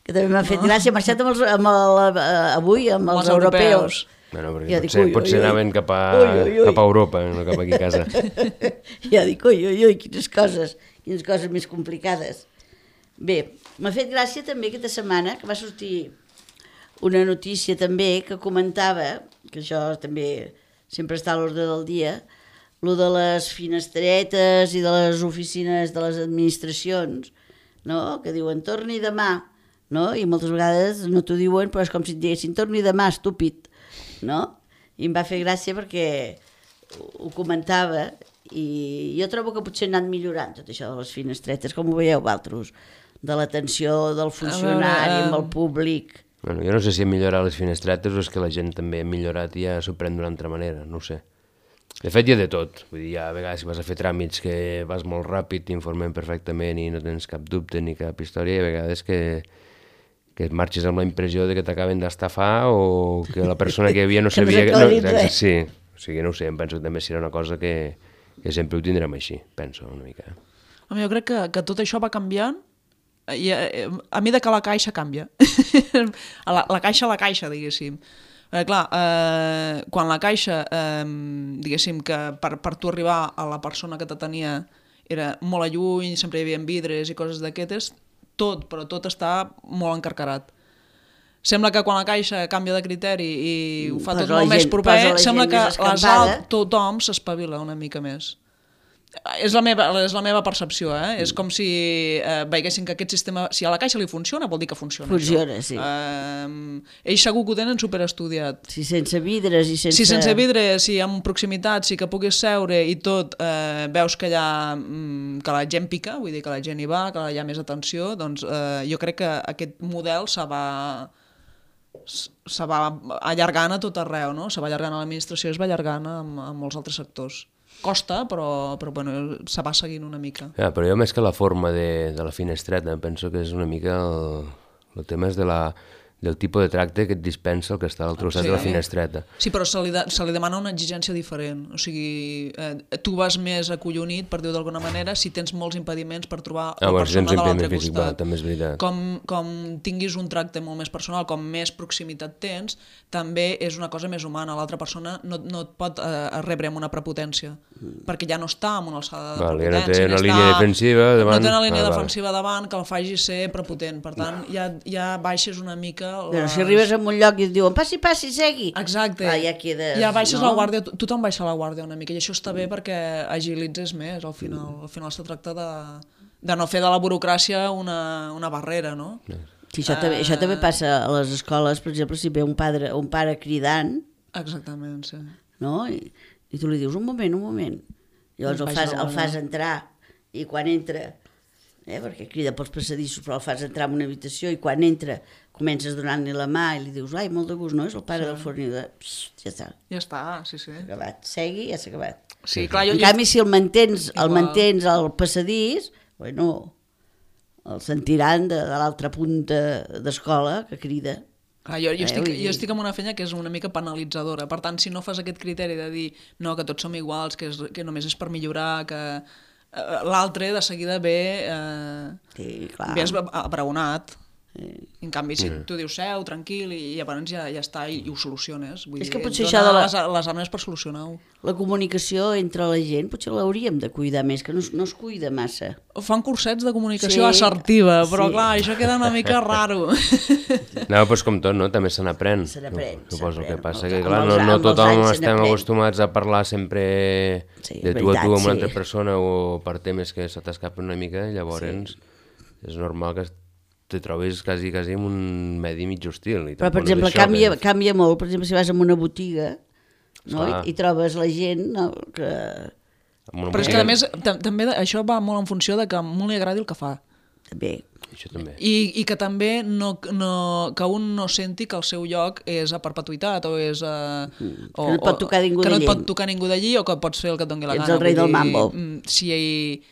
que també m'ha fet gràcia, ha marxat amb els, amb el, eh, avui amb els, Els europeus. europeus. Bueno, perquè Jo dic, potser, ui, ui, potser ui. anaven cap a, Ui, ui, ui. cap a Europa, no cap aquí a casa. Ja dic, ui, ui, ui, quines coses, quines coses més complicades. Bé, m'ha fet gràcia també aquesta setmana que va sortir una notícia també que comentava, que això també sempre està a l'ordre del dia, lo de les finestretes i de les oficines de les administracions, no? Que diuen torni demà, no? I moltes vegades no t'ho diuen, però és com si et diguessin torni demà, estúpid, no? I em va fer gràcia perquè ho, ho comentava i jo trobo que potser han anat millorant tot això de les finestretes, com ho veieu vosaltres, de l'atenció del funcionari amb el públic. Bueno, jo no sé si ha millorat les finestretes o és que la gent també ha millorat i ja s'ho pren d'una altra manera, no ho sé. De fet, hi ha de tot. Vull dir, hi ha a vegades que vas a fer tràmits que vas molt ràpid, t'informem perfectament i no tens cap dubte ni cap història, i a vegades que, que et marxes amb la impressió de que t'acaben d'estafar o que la persona que hi havia no Que no sabia... s'ha aclarit exacte, res. sí, o sigui, no ho sé, em penso que també serà una cosa que, que sempre ho tindrem així, penso una mica. Home, jo crec que, que tot això va canviant i, eh, a mesura que la caixa canvia. A la, la caixa a la caixa, diguéssim. Perquè, clar, eh, quan la caixa, eh, diguéssim que per, per tu arribar a la persona que te tenia era molt a lluny, sempre hi havia vidres i coses d'aquestes, tot, però tot està molt encarcarat. Sembla que quan la caixa canvia de criteri i ho fa Posa tot la molt més gent- proper, posa la sembla gent que més les escampada. alt, tothom s'espavila una mica més. És la meva, és la meva percepció, eh? És com si eh, veiessin que aquest sistema, si a la caixa li funciona, vol dir que funciona. Funciona, això. sí. Eh, ells segur que ho tenen superestudiat. Si sense vidres i sense... Si sense vidre, si amb proximitat, si que puguis seure i tot, eh, veus que, hi ha, mm, que la gent pica, vull dir que la gent hi va, que hi ha més atenció, doncs eh, jo crec que aquest model se va, se va allargant a tot arreu, no? Se va allargant a l'administració i es va allargant a, a molts altres sectors. Costa, però, però bueno, se va seguint una mica. Ja, però jo més que la forma de, de la finestreta, penso que és una mica el, el tema és de la, del tipus de tracte que et dispensa el que està a l'altre costat Sí. de la finestreta. Sí, però se li, de, se li demana una exigència diferent. O sigui, eh, tu vas més acollonit, per dir-ho d'alguna manera, si tens molts impediments per trobar Ah, la bueno, persona tens de l'altre impediment físic, va, costat. també és veritat. Com, com tinguis un tracte molt més personal, com més proximitat tens, també és una cosa més humana. L'altra persona no, no et pot eh, rebre amb una prepotència, perquè ja no està en una alçada de Val, ja no té prepotència. una ni línia està- defensiva davant. No té una línia Ah, val. defensiva davant que el faci ser prepotent. Per tant, ja, ja baixes una mica... Però les- si arribes a un lloc i et diuen passi, passi, segui. Exacte. Ah, ja quedes, ja baixes no? la guàrdia, to- tothom baixa la guàrdia una mica i això està bé perquè agilitzes més al final. Al final es tracta de, de no fer de la burocràcia una, una barrera, no? Sí, això, també, això també passa a les escoles, per exemple, si ve un pare, un pare cridant, Exactament, sí. no? I, i tu li dius, un moment, un moment. Llavors el Baix fas, la el fas guàrdia. entrar i quan entra, eh, perquè crida pels passadissos, però el fas entrar en una habitació i quan entra comences donant-li la mà i li dius, ai, molt de gust, no? És el pare sí. del fornidor. Psst, ja està, Ja està, sí, sí. acabat. Segui, ja s'ha acabat. Sí, clar, jo... En canvi, si el mantens, el Igual. mantens al passadís, bueno, el sentiran de, de l'altra punta d'escola que crida. Clar, jo, jo, Eh, estic, vull dir- jo estic en una feina que és una mica penalitzadora. Per tant, si no fas aquest criteri de dir no, que tots som iguals, que, és, que només és per millorar, que eh, l'altre de seguida ve, eh, Sí, clar. ve esbraonat. En canvi, si tu dius seu, tranquil, i llavors ja, ja està, i, i ho soluciones. Vull És dir, que potser dona això de la- les, les armes per solucionar-ho. La comunicació entre la gent potser l'hauríem de cuidar més, que no, es- no es cuida massa. Fan cursets de comunicació Sí, assertiva, però sí. clar, això queda una mica raro. No, doncs com tot, no? També se n'aprèn. Se n'aprèn, Suposo s'aprèn. que passa Amb que, els- clar, amb no, els- no amb els tothom anys se estem n'aprèn. acostumats a parlar sempre Sí, de és tu a tu veritat, amb una sí. altra persona o per temes que se t'escapen una mica, llavors és normal que te trobis quasi, quasi en un medi mig hostil. I Però, per tampoc no és exemple, això, canvia, que- canvia molt. Per exemple, si vas a una botiga, no? Esclar. I, i trobes la gent, no? que... amb una Però és botiga- que, a més, tam- també això va molt en funció de que a un li agradi el que fa. També. Això també. I, i que també no, no, que un no senti que el seu lloc és a perpetuïtat o és a... O, Que no et pot tocar ningú que no et d'allí. pot tocar ningú d'allí o que pots fer el que et doni la Ets gana. el rei Vull del mambo. mm, Si,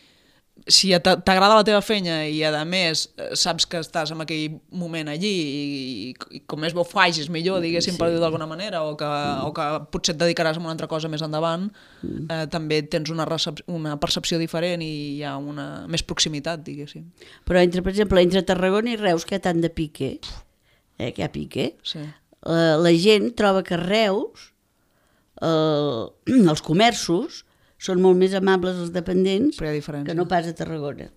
si t'a- t'agrada la teva feina i a més eh, saps que estàs en aquell moment allí i, i com més bo facis millor, diguéssim, sí. per dir d'alguna manera, o que, o que potser et dedicaràs a una altra cosa més endavant, eh, també tens una, recep una percepció diferent i hi ha una més proximitat, diguéssim. Però, entre, per exemple, entre Tarragona i Reus, que hi ha tant de pique, eh, que hi ha pique, Sí. la, la gent troba que a Reus eh, els comerços són molt més amables als dependents Però hi ha diferència. que no pas a Tarragona.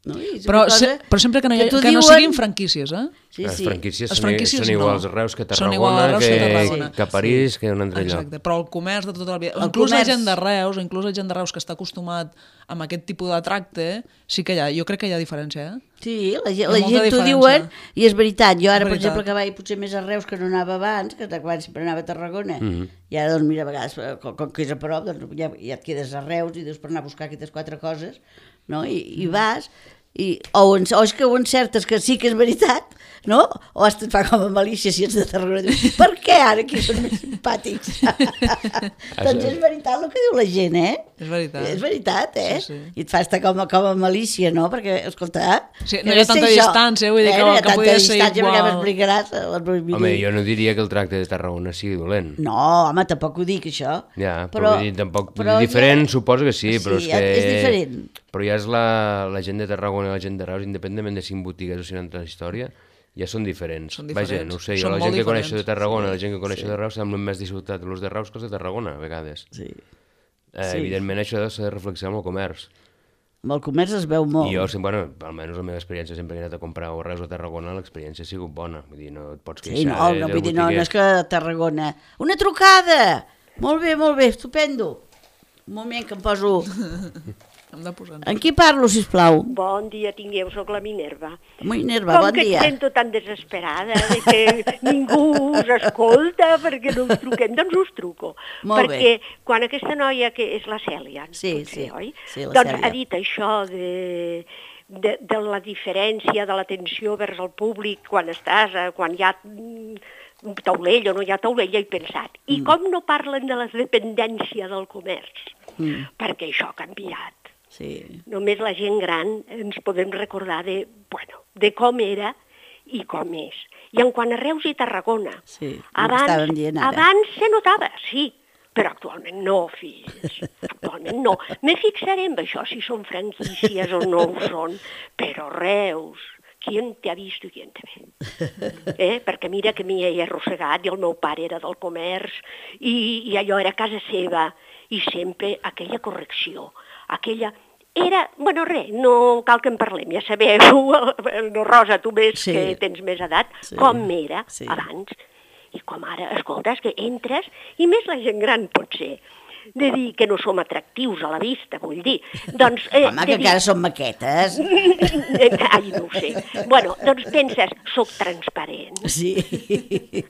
No? I és Però, una cosa se, però sempre que no, hi, ha- t'ho que no diuen- siguin franquícies, eh? Sí, Les sí. franquícies, Les són, franquícies són iguals no. a Reus que a Són igual a Tarragona, Reus que que, a Tarragona. que a París, que a un altre lloc. Exacte, però el comerç de tota la vida... El Inclús comerç- la gent de Reus, inclús la gent de Reus que està acostumat amb aquest tipus de tracte, sí que hi ha, jo crec que hi ha diferència, eh? Sí, la, gent- Hi ha la molta gent t'ho diferència. diuen i és veritat. Jo ara, És per veritat. exemple, que vaig potser més a Reus que no anava abans, que abans sempre anava a Tarragona, Mhm. i ara, doncs, mira, a vegades, eh, com, com que és a prop, doncs ja, ja et quedes a Reus i dius per anar a buscar aquestes quatre coses, no? I, i vas, i, o, en, o és que ho encertes que sí que és veritat, no? O hasta et fa com a malícia si ets de Tarragona. Dius, per què ara aquí són més simpàtics? Doncs és veritat el que diu la gent, eh? És veritat. És veritat, eh? Sí, sí. I et fa estar com, a- com a malícia, no? Perquè, escolta... Sí, que no hi ha sé tanta això. distància, vull dir eh, que- no hi ha que tanta podia ser distància igual. perquè m'explicaràs. eh, les vull dir. Home, jo no diria que el tracte de Tarragona sigui dolent. No, home, tampoc ho dic, això. Ja, però, vull dir, tampoc, vull dir, ja- diferent suposo que sí, però Sí, és que... és diferent. Però ja és la, la gent de Tarragona i la gent de Reus, independentment de cinc botigues o cinc altra història, ja són diferents. Són Vaja, diferents. no ho sé, jo Són la molt gent que coneix diferents. de Tarragona, la gent que coneix de Reus, semblen més disfrutat els de Reus que els de Tarragona, a vegades. Sí. Eh, Sí. Evidentment això s'ha de reflexionar amb el comerç. Amb el comerç es veu molt. I jo, sempre, bueno, almenys la meva experiència, sempre que he anat a comprar o Reus o Tarragona, l'experiència ha sigut bona. Vull dir, no et pots queixar Sí, no, de, no, del vull dir, no, no botiguer. és que a Tarragona... Una trucada! Molt bé, molt bé, estupendo. Un moment que em poso... Hem de posar... En qui parlo, sisplau? Bon dia tingueu, sóc la Minerva. Muy Nerva, Com bon que dia. et sento tan desesperada de que ningú us escolta perquè no us truquem, doncs us truco. Molt perquè quan aquesta noia, que és la Cèlia, Sí, potser, sí, oi? sí, la doncs Cèlia. ha dit això de, de, de la diferència de l'atenció vers el públic quan estàs, eh, quan hi ha mm, un taulell o no hi ha taulell, he pensat. I Mm. com no parlen de la dependència del comerç? Mm. Perquè això ha canviat. Sí. Només la gent gran ens podem recordar de, bueno, de com era i com és. I en quant a Reus i Tarragona, Sí, el que abans, estàvem dient ara. abans se notava, sí, però actualment no, fills, actualment no. Me fixaré en això, si són franquícies o no ho són, però Reus, qui te ha vist i qui te ve? Eh? Perquè mira que m'hi he arrossegat i el meu pare era del comerç i, i allò era casa seva i sempre aquella correcció, aquella... Era, bueno, res, no cal que en parlem, ja sabeu, no, Rosa, tu més Sí. que tens més edat, Sí. com era Sí. abans i com ara, escolta, és que entres, i més la gent gran pot ser, de dir que no som atractius a la vista, vull dir. Doncs, eh, Home, de que dir... encara són maquetes. Ai, no ho sé. Bueno, doncs penses, soc transparent, Sí.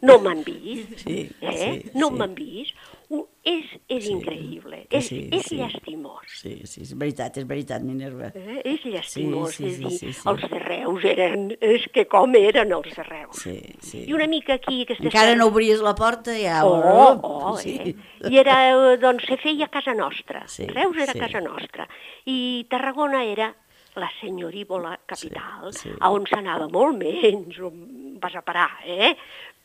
no m'han vist, Sí, eh? sí, no sí. m'han vist. Ho- És, és Sí, increïble, que és, sí, és sí. llastimós. Sí, sí, és veritat, és veritat, Minerva. Eh? És llastimós, Sí, sí, és sí, dir, sí, sí. els de Reus eren, és que com eren els de Reus. Sí, sí. I una mica aquí, aquesta Encara serra- no obries la porta, ja... Oh, oh, sí. eh? I era, eh, doncs, se feia a casa nostra. Sí, Reus era sí. casa nostra. I Tarragona era la senyorívola capital, Sí, sí. a on s'anava molt menys, on vas a parar, eh?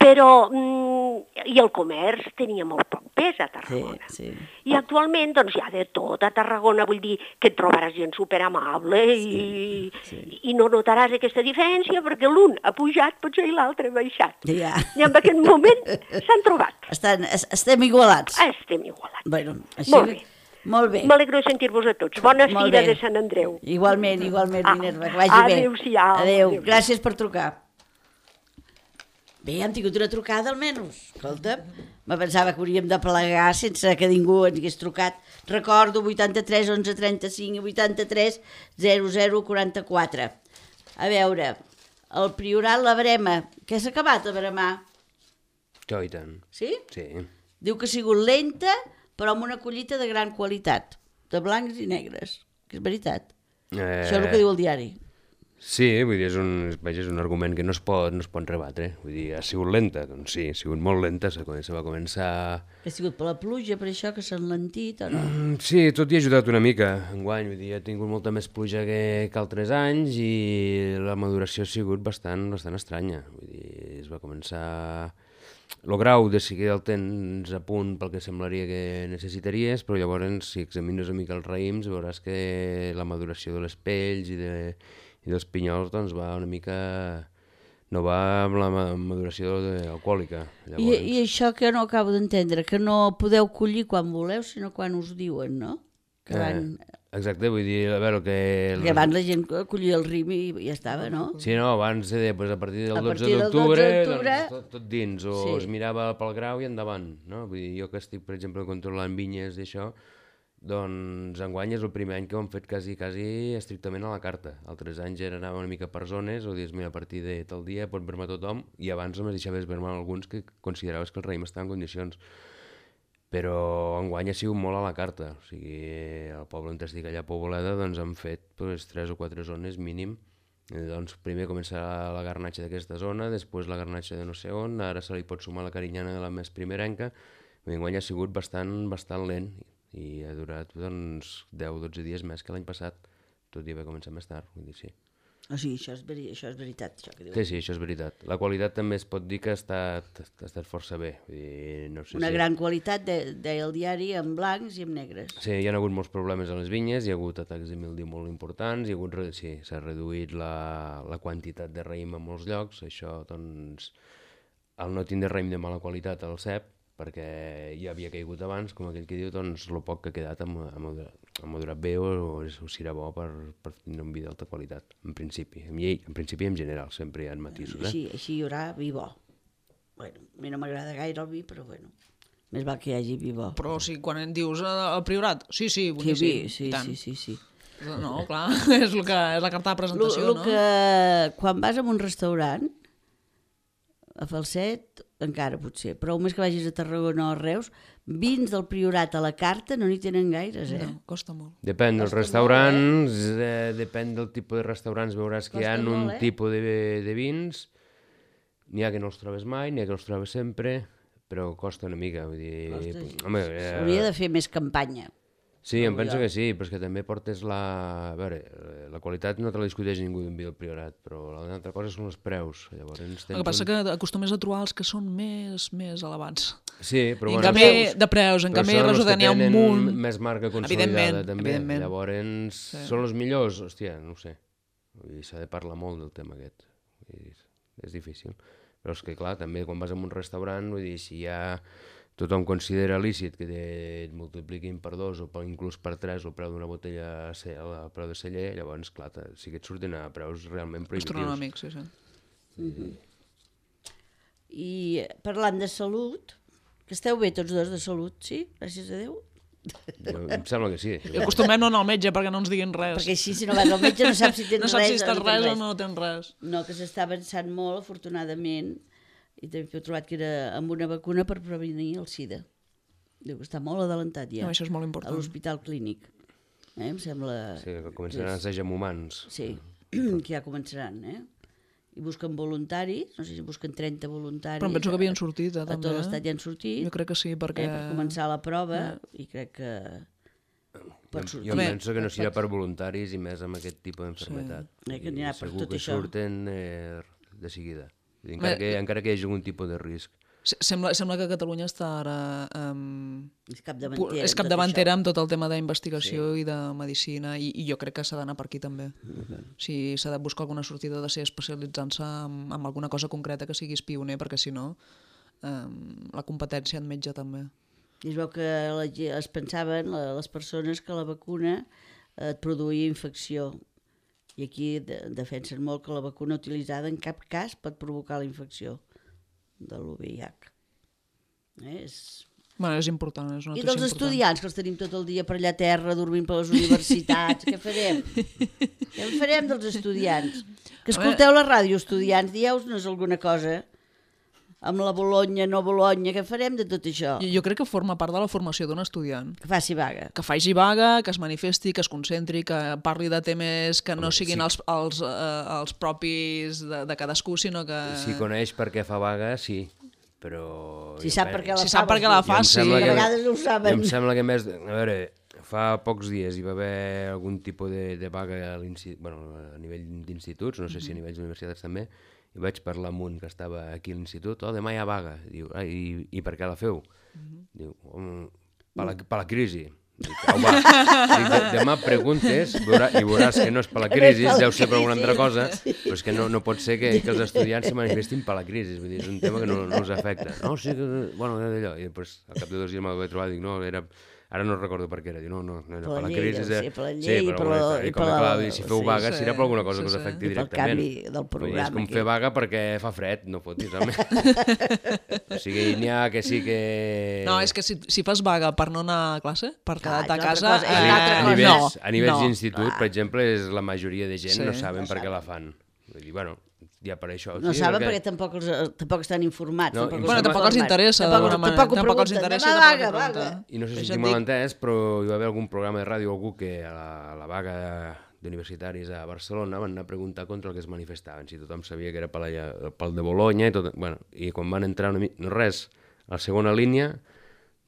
Però, mm, i el comerç tenia molt poc propers a Tarragona. Sí, sí. I actualment doncs, hi ha de tot a Tarragona, vull dir que et trobaràs gent superamable i, sí. i no notaràs aquesta diferència perquè l'un ha pujat potser i l'altre ha baixat. Ja. I en aquest moment s'han trobat. Estan, es- estem igualats. Estem igualats. Bueno, així... Molt bé. Molt bé. M'alegro de sentir-vos a tots. Bona Molt fira bé. de Sant Andreu. Igualment, igualment, Ah, Minerva, que vagi bé. adéu-siau, Adéu. adéu. Gràcies per trucar. Bé, hem tingut una trucada almenys. Escolta, me pensava que hauríem de plegar sense que ningú ens hagués trucat. Recordo vuitanta-tres onze trenta-cinc i vuitanta-tres zero zero quaranta-quatre. A veure, el Priorat, la Brema. Què s'ha acabat a Bremar? Jo i tant. Sí? Sí. Diu que ha sigut lenta, però amb una collita de gran qualitat, de blancs i negres, que és veritat. Eh... Això és el que diu el diari. Sí, vull dir, és un, vaja, és un argument que no es pot, no es pot rebatre. Vull dir, ha sigut lenta? Doncs sí, ha sigut molt lenta, se va començar... Ha sigut per la pluja, per això que s'ha enlentit o no? Mm, sí, tot hi ha ajudat una mica, enguany, vull dir, ha tingut molta més pluja que, que altres anys i la maduració ha sigut bastant, bastant estranya. Vull dir, es va començar... El grau de si el tens a punt pel que semblaria que necessitaries, però llavors si examines una mica els raïms veuràs que la maduració de les pells i, de, i dels pinyols doncs va una mica... no va amb la ma- maduració de, alcohòlica. I, I això que no acabo d'entendre, que no podeu collir quan voleu, sinó quan us diuen, no? Que van... Eh, exacte, vull dir, a veure, el que... Perquè abans la gent collia el rim i ja estava, no? Sí, no, abans eh, pues a partir del A dotze partir del d'octubre, dotze d'octubre, doncs, tot, tot dins, o sí. es mirava pel grau i endavant, no? Vull dir, jo que estic, per exemple, controlant vinyes i això, doncs enguany és el primer any que ho hem fet quasi, quasi estrictament a la carta. Altres anys era anar una mica per zones, o dius, mira, a partir de tal dia pot vermar tothom, i abans només deixaves vermar alguns que consideraves que el raïm estava en condicions. Però enguany ha sigut molt a la carta, o sigui, al poble on estic allà a Poboleda doncs han fet pues, tres o quatre zones mínim. I, doncs primer començarà la garnatxa d'aquesta zona, després la garnatxa de no sé on, ara se li pot sumar la carinyana de la més primerenca. Enguany ha sigut bastant, bastant lent i ha durat doncs, deu o dotze dies més que l'any passat, tot i haver començat més tard, vull dir, sí. O sigui, això és, veri... això és veritat, això que diuen. Sí, sí, això és veritat. La qualitat també es pot dir que ha estat, ha estat força bé. Vull dir, no sé Una si... gran qualitat, de, deia el diari, en blancs i en negres. Sí, hi ha hagut molts problemes a les vinyes, hi ha hagut atacs de mildiu molt importants, hi ha hagut, re- sí, s'ha reduït la, la quantitat de raïm en molts llocs, això, doncs, al no tindre raïm de mala qualitat al cep, perquè ja havia caigut abans, com aquell que diu, doncs, el poc que ha quedat ha ma- ha madurat, ha madurat bé o, o, és- o serà bo per, per tindre un vi d'alta qualitat, en principi. En, llei, en principi i en general, sempre hi ha matisos, eh? Així, així hi haurà vi bo. Bueno, a mi no m'agrada gaire el vi, però bueno, més val que hi hagi vi bo. Però o sigui, quan en dius eh, el Priorat, sí, sí, Sí, boníssim. vi, sí, i tant. sí, sí, sí. No, clar, és, el que, és la carta de Lo, presentació, lo no? que, quan vas a un restaurant, a Falset, encara potser, però més que vagis a Tarragona o a Reus, vins del Priorat a la carta no n'hi tenen gaires, eh? No, costa molt. Depèn dels Costa restaurants, eh, depèn del tipus de restaurants, veuràs que hi ha Costa un molt, eh? tipus de, de vins, n'hi ha que no els trobes mai, n'hi ha que els trobes sempre, però costa una mica, vull dir... Costa, home, eh, S'hauria de fer més campanya. sí, em trobo penso jo. que sí, però és que també portes la... A veure, la qualitat no te la discuteix ningú d'un vi del Priorat, però l'altra cosa són els preus, llavors tens El que passa un... que acostumes a trobar els que són més, més elevats. Sí, però I en bueno... canvi, de preus, en però canvi, són els resulta que n'hi ha un tenen munt. més marca consolidada Evidentment, també, evidentment. llavors Sí. són els millors, hòstia, no ho sé, vull dir, s'ha de parlar molt del tema aquest, vull dir, és difícil, però és que clar, també quan vas a un restaurant, vull dir, si hi ha... Tothom considera lícit que et multipliquin per dos o per, inclús per tres el preu d'una botella a ce- el preu de celler, llavors, clar, te- sí que et surten a preus realment prohibitius. Astronòmics, sí, sí. I eh, parlant de salut, que esteu bé tots dos de salut, sí? Gràcies a Déu. Jo, em sembla que sí. I acostumem no anar al metge perquè no ens diguin res. Perquè així, si no vas al metge, no saps si tens no saps res si estàs o no tens res o res. no tens res. No, que s'està avançant molt, afortunadament, i també he trobat que era amb una vacuna per prevenir el sida. Diu que està molt adelantat ja. No, això és molt A important. l'hospital clínic. Eh, em sembla... Sí, que començaran a ser amb humans. Sí, que ja començaran, eh? I busquen voluntaris, no sé si busquen trenta voluntaris. Però em penso que havien sortit, eh, A també. tot l'estat ja han sortit. Jo crec que sí, perquè... Eh, per començar la prova, i crec que... pot Jo, sortir. jo Bé, penso que no serà per voluntaris i més amb aquest tipus d'enfermetat. Eh, que anirà per Segur tot que això. surten eh, de seguida. Vull dir, encara, Bé, que, encara que hi hagi algun tipus de risc. Sembla, sembla que Catalunya està ara... Um, és capdavantera, és capdavantera amb tot el tema d'investigació sí. i de medicina, i, i jo crec que s'ha d'anar per aquí també. Uh-huh. O sigui, s'ha de buscar alguna sortida de ser especialitzant-se en, en alguna cosa concreta que siguis pioner, perquè si no um, la competència admetja també. I es veu que la, es pensaven les persones que la vacuna et produïa infecció. I aquí de, defensen molt que la vacuna utilitzada en cap cas pot provocar la infecció de l'U V I H. Eh, és... Bueno, és important, és una I notícia dels important. estudiants, que els tenim tot el dia per allà a terra, dormint per les universitats, què farem? Què en farem dels estudiants? Que escolteu la ràdio, estudiants, dieu-nos alguna cosa amb la Bologna, no Bologna, què farem de tot això? Jo, jo crec que forma part de la formació d'un estudiant. Que faci vaga. Que faci vaga, que es manifesti, que es concentri, que parli de temes que no siguin sí. els, els, eh, els propis de, de cadascú, sinó que... Si coneix per què fa vaga, sí, però... Si sap per què la si fa, sap per què la fa, sí. Que a vegades no ho saben. Em sembla que més... A veure, fa pocs dies hi va haver algun tipus de, de vaga a, bueno, a nivell d'instituts, no sé si a nivell d'universitats també, i vaig parlar amb un que estava aquí a l'institut, oh, demà hi ha vaga. Diu, ah, i, i per què la feu? Uh-huh. Diu, um, per, la, per la crisi. Dic, oh, va. Dic, de, demà preguntes veurà, i veuràs que no és per la crisi, deu ser per alguna altra cosa, però és que no, no pot ser que, que els estudiants se manifestin per la crisi, vull dir, és un tema que no, no els afecta. No, sí, que, bueno, d'allò. I després, al cap de dos dies m'ho vaig trobar, dic, no, era... Ara no recordo per què era, diu, no, no, no era per la crisi. Sí, per la llei, sí, per la... I com a clar, si feu vaga, si era per alguna cosa sí, que us afecti sí. directament. I pel canvi del programa. És com fer vaga perquè fa fred, no fotis, home. O sigui, n'hi ha que sí que... No, és que si, si fas vaga per no anar a classe, per quedar-te a casa... Cosa, eh, a, a nivells, no, a nivells no. d'institut, per exemple, és la majoria de gent Sí, no saben no per què saben. la fan. Vull dir, bueno, ja per això... No sí, saben perquè... perquè tampoc, els, tampoc estan informats. No, tampoc bueno, els tampoc els informat. interessa, Tampoc, d'alguna manera. tampoc, Tampoc els pregunten, interessa, demà tampoc vaga, els vaga. pregunten. I no sé si Això estic et mal dic. entès, però hi va haver algun programa de ràdio, algú que a la, a la vaga d'universitaris a Barcelona van anar a preguntar contra el que es manifestaven, si tothom sabia que era pel, pel de Bologna, i, tot, bueno, i quan van entrar una mica, no res, a la segona línia,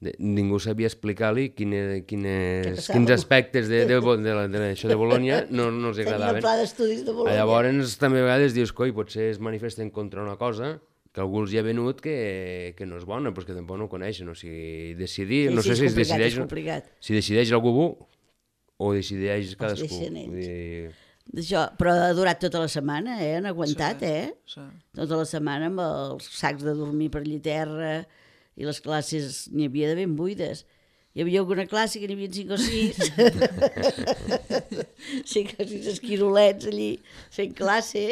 de, ningú sabia explicar-li quine, quines, quins aspectes de, de, de, de, de això de Bologna no, no els agradaven. Tenia el pla d'estudis de Bologna. Llavors també a vegades dius, coi, potser es manifesten contra una cosa que algú els hi ha venut que, que no és bona, però que tampoc no ho coneixen. O sigui, decidir, Sí, no sí, sé és si es complicat, decideix, és complicat. si decideix algú o decideix cadascú. deixen ells. Vull dir... Això, però ha durat tota la setmana, eh? Han aguantat, Sí, eh? sí. Tota la setmana amb els sacs de dormir per allà a terra i les classes n'hi havia de ben buides. Hi havia alguna classe que n'hi havia cinc o sis. cinc o sis esquirolets allí fent classe,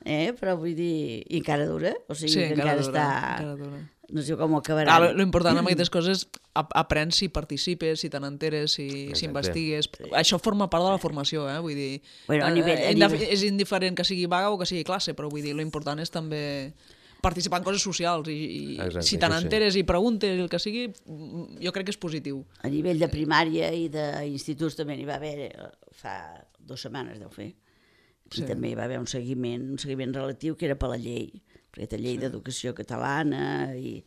eh? Però vull dir... I encara dura, o sigui Sí, que encara encara, dura, està... encara dura. No sé com ho acabarà. Clar, lo important amb aquestes coses ap aprens si participes, si te n'enteres, si, si investigues. Sí. Això forma part de la formació, eh? Vull dir, Bueno, a nivell- a eh, nivell- és indiferent que sigui vaga o que sigui classe, però vull dir, lo important és també participar en coses socials i, i Exacte, si te això sí. n'enteres i preguntes el que sigui, jo crec que és positiu. A nivell de primària i d'instituts també n'hi va haver, eh, fa dues setmanes deu fer. I Sí. també hi va haver un seguiment, un seguiment relatiu que era per la llei, perquè té llei sí. d'educació catalana i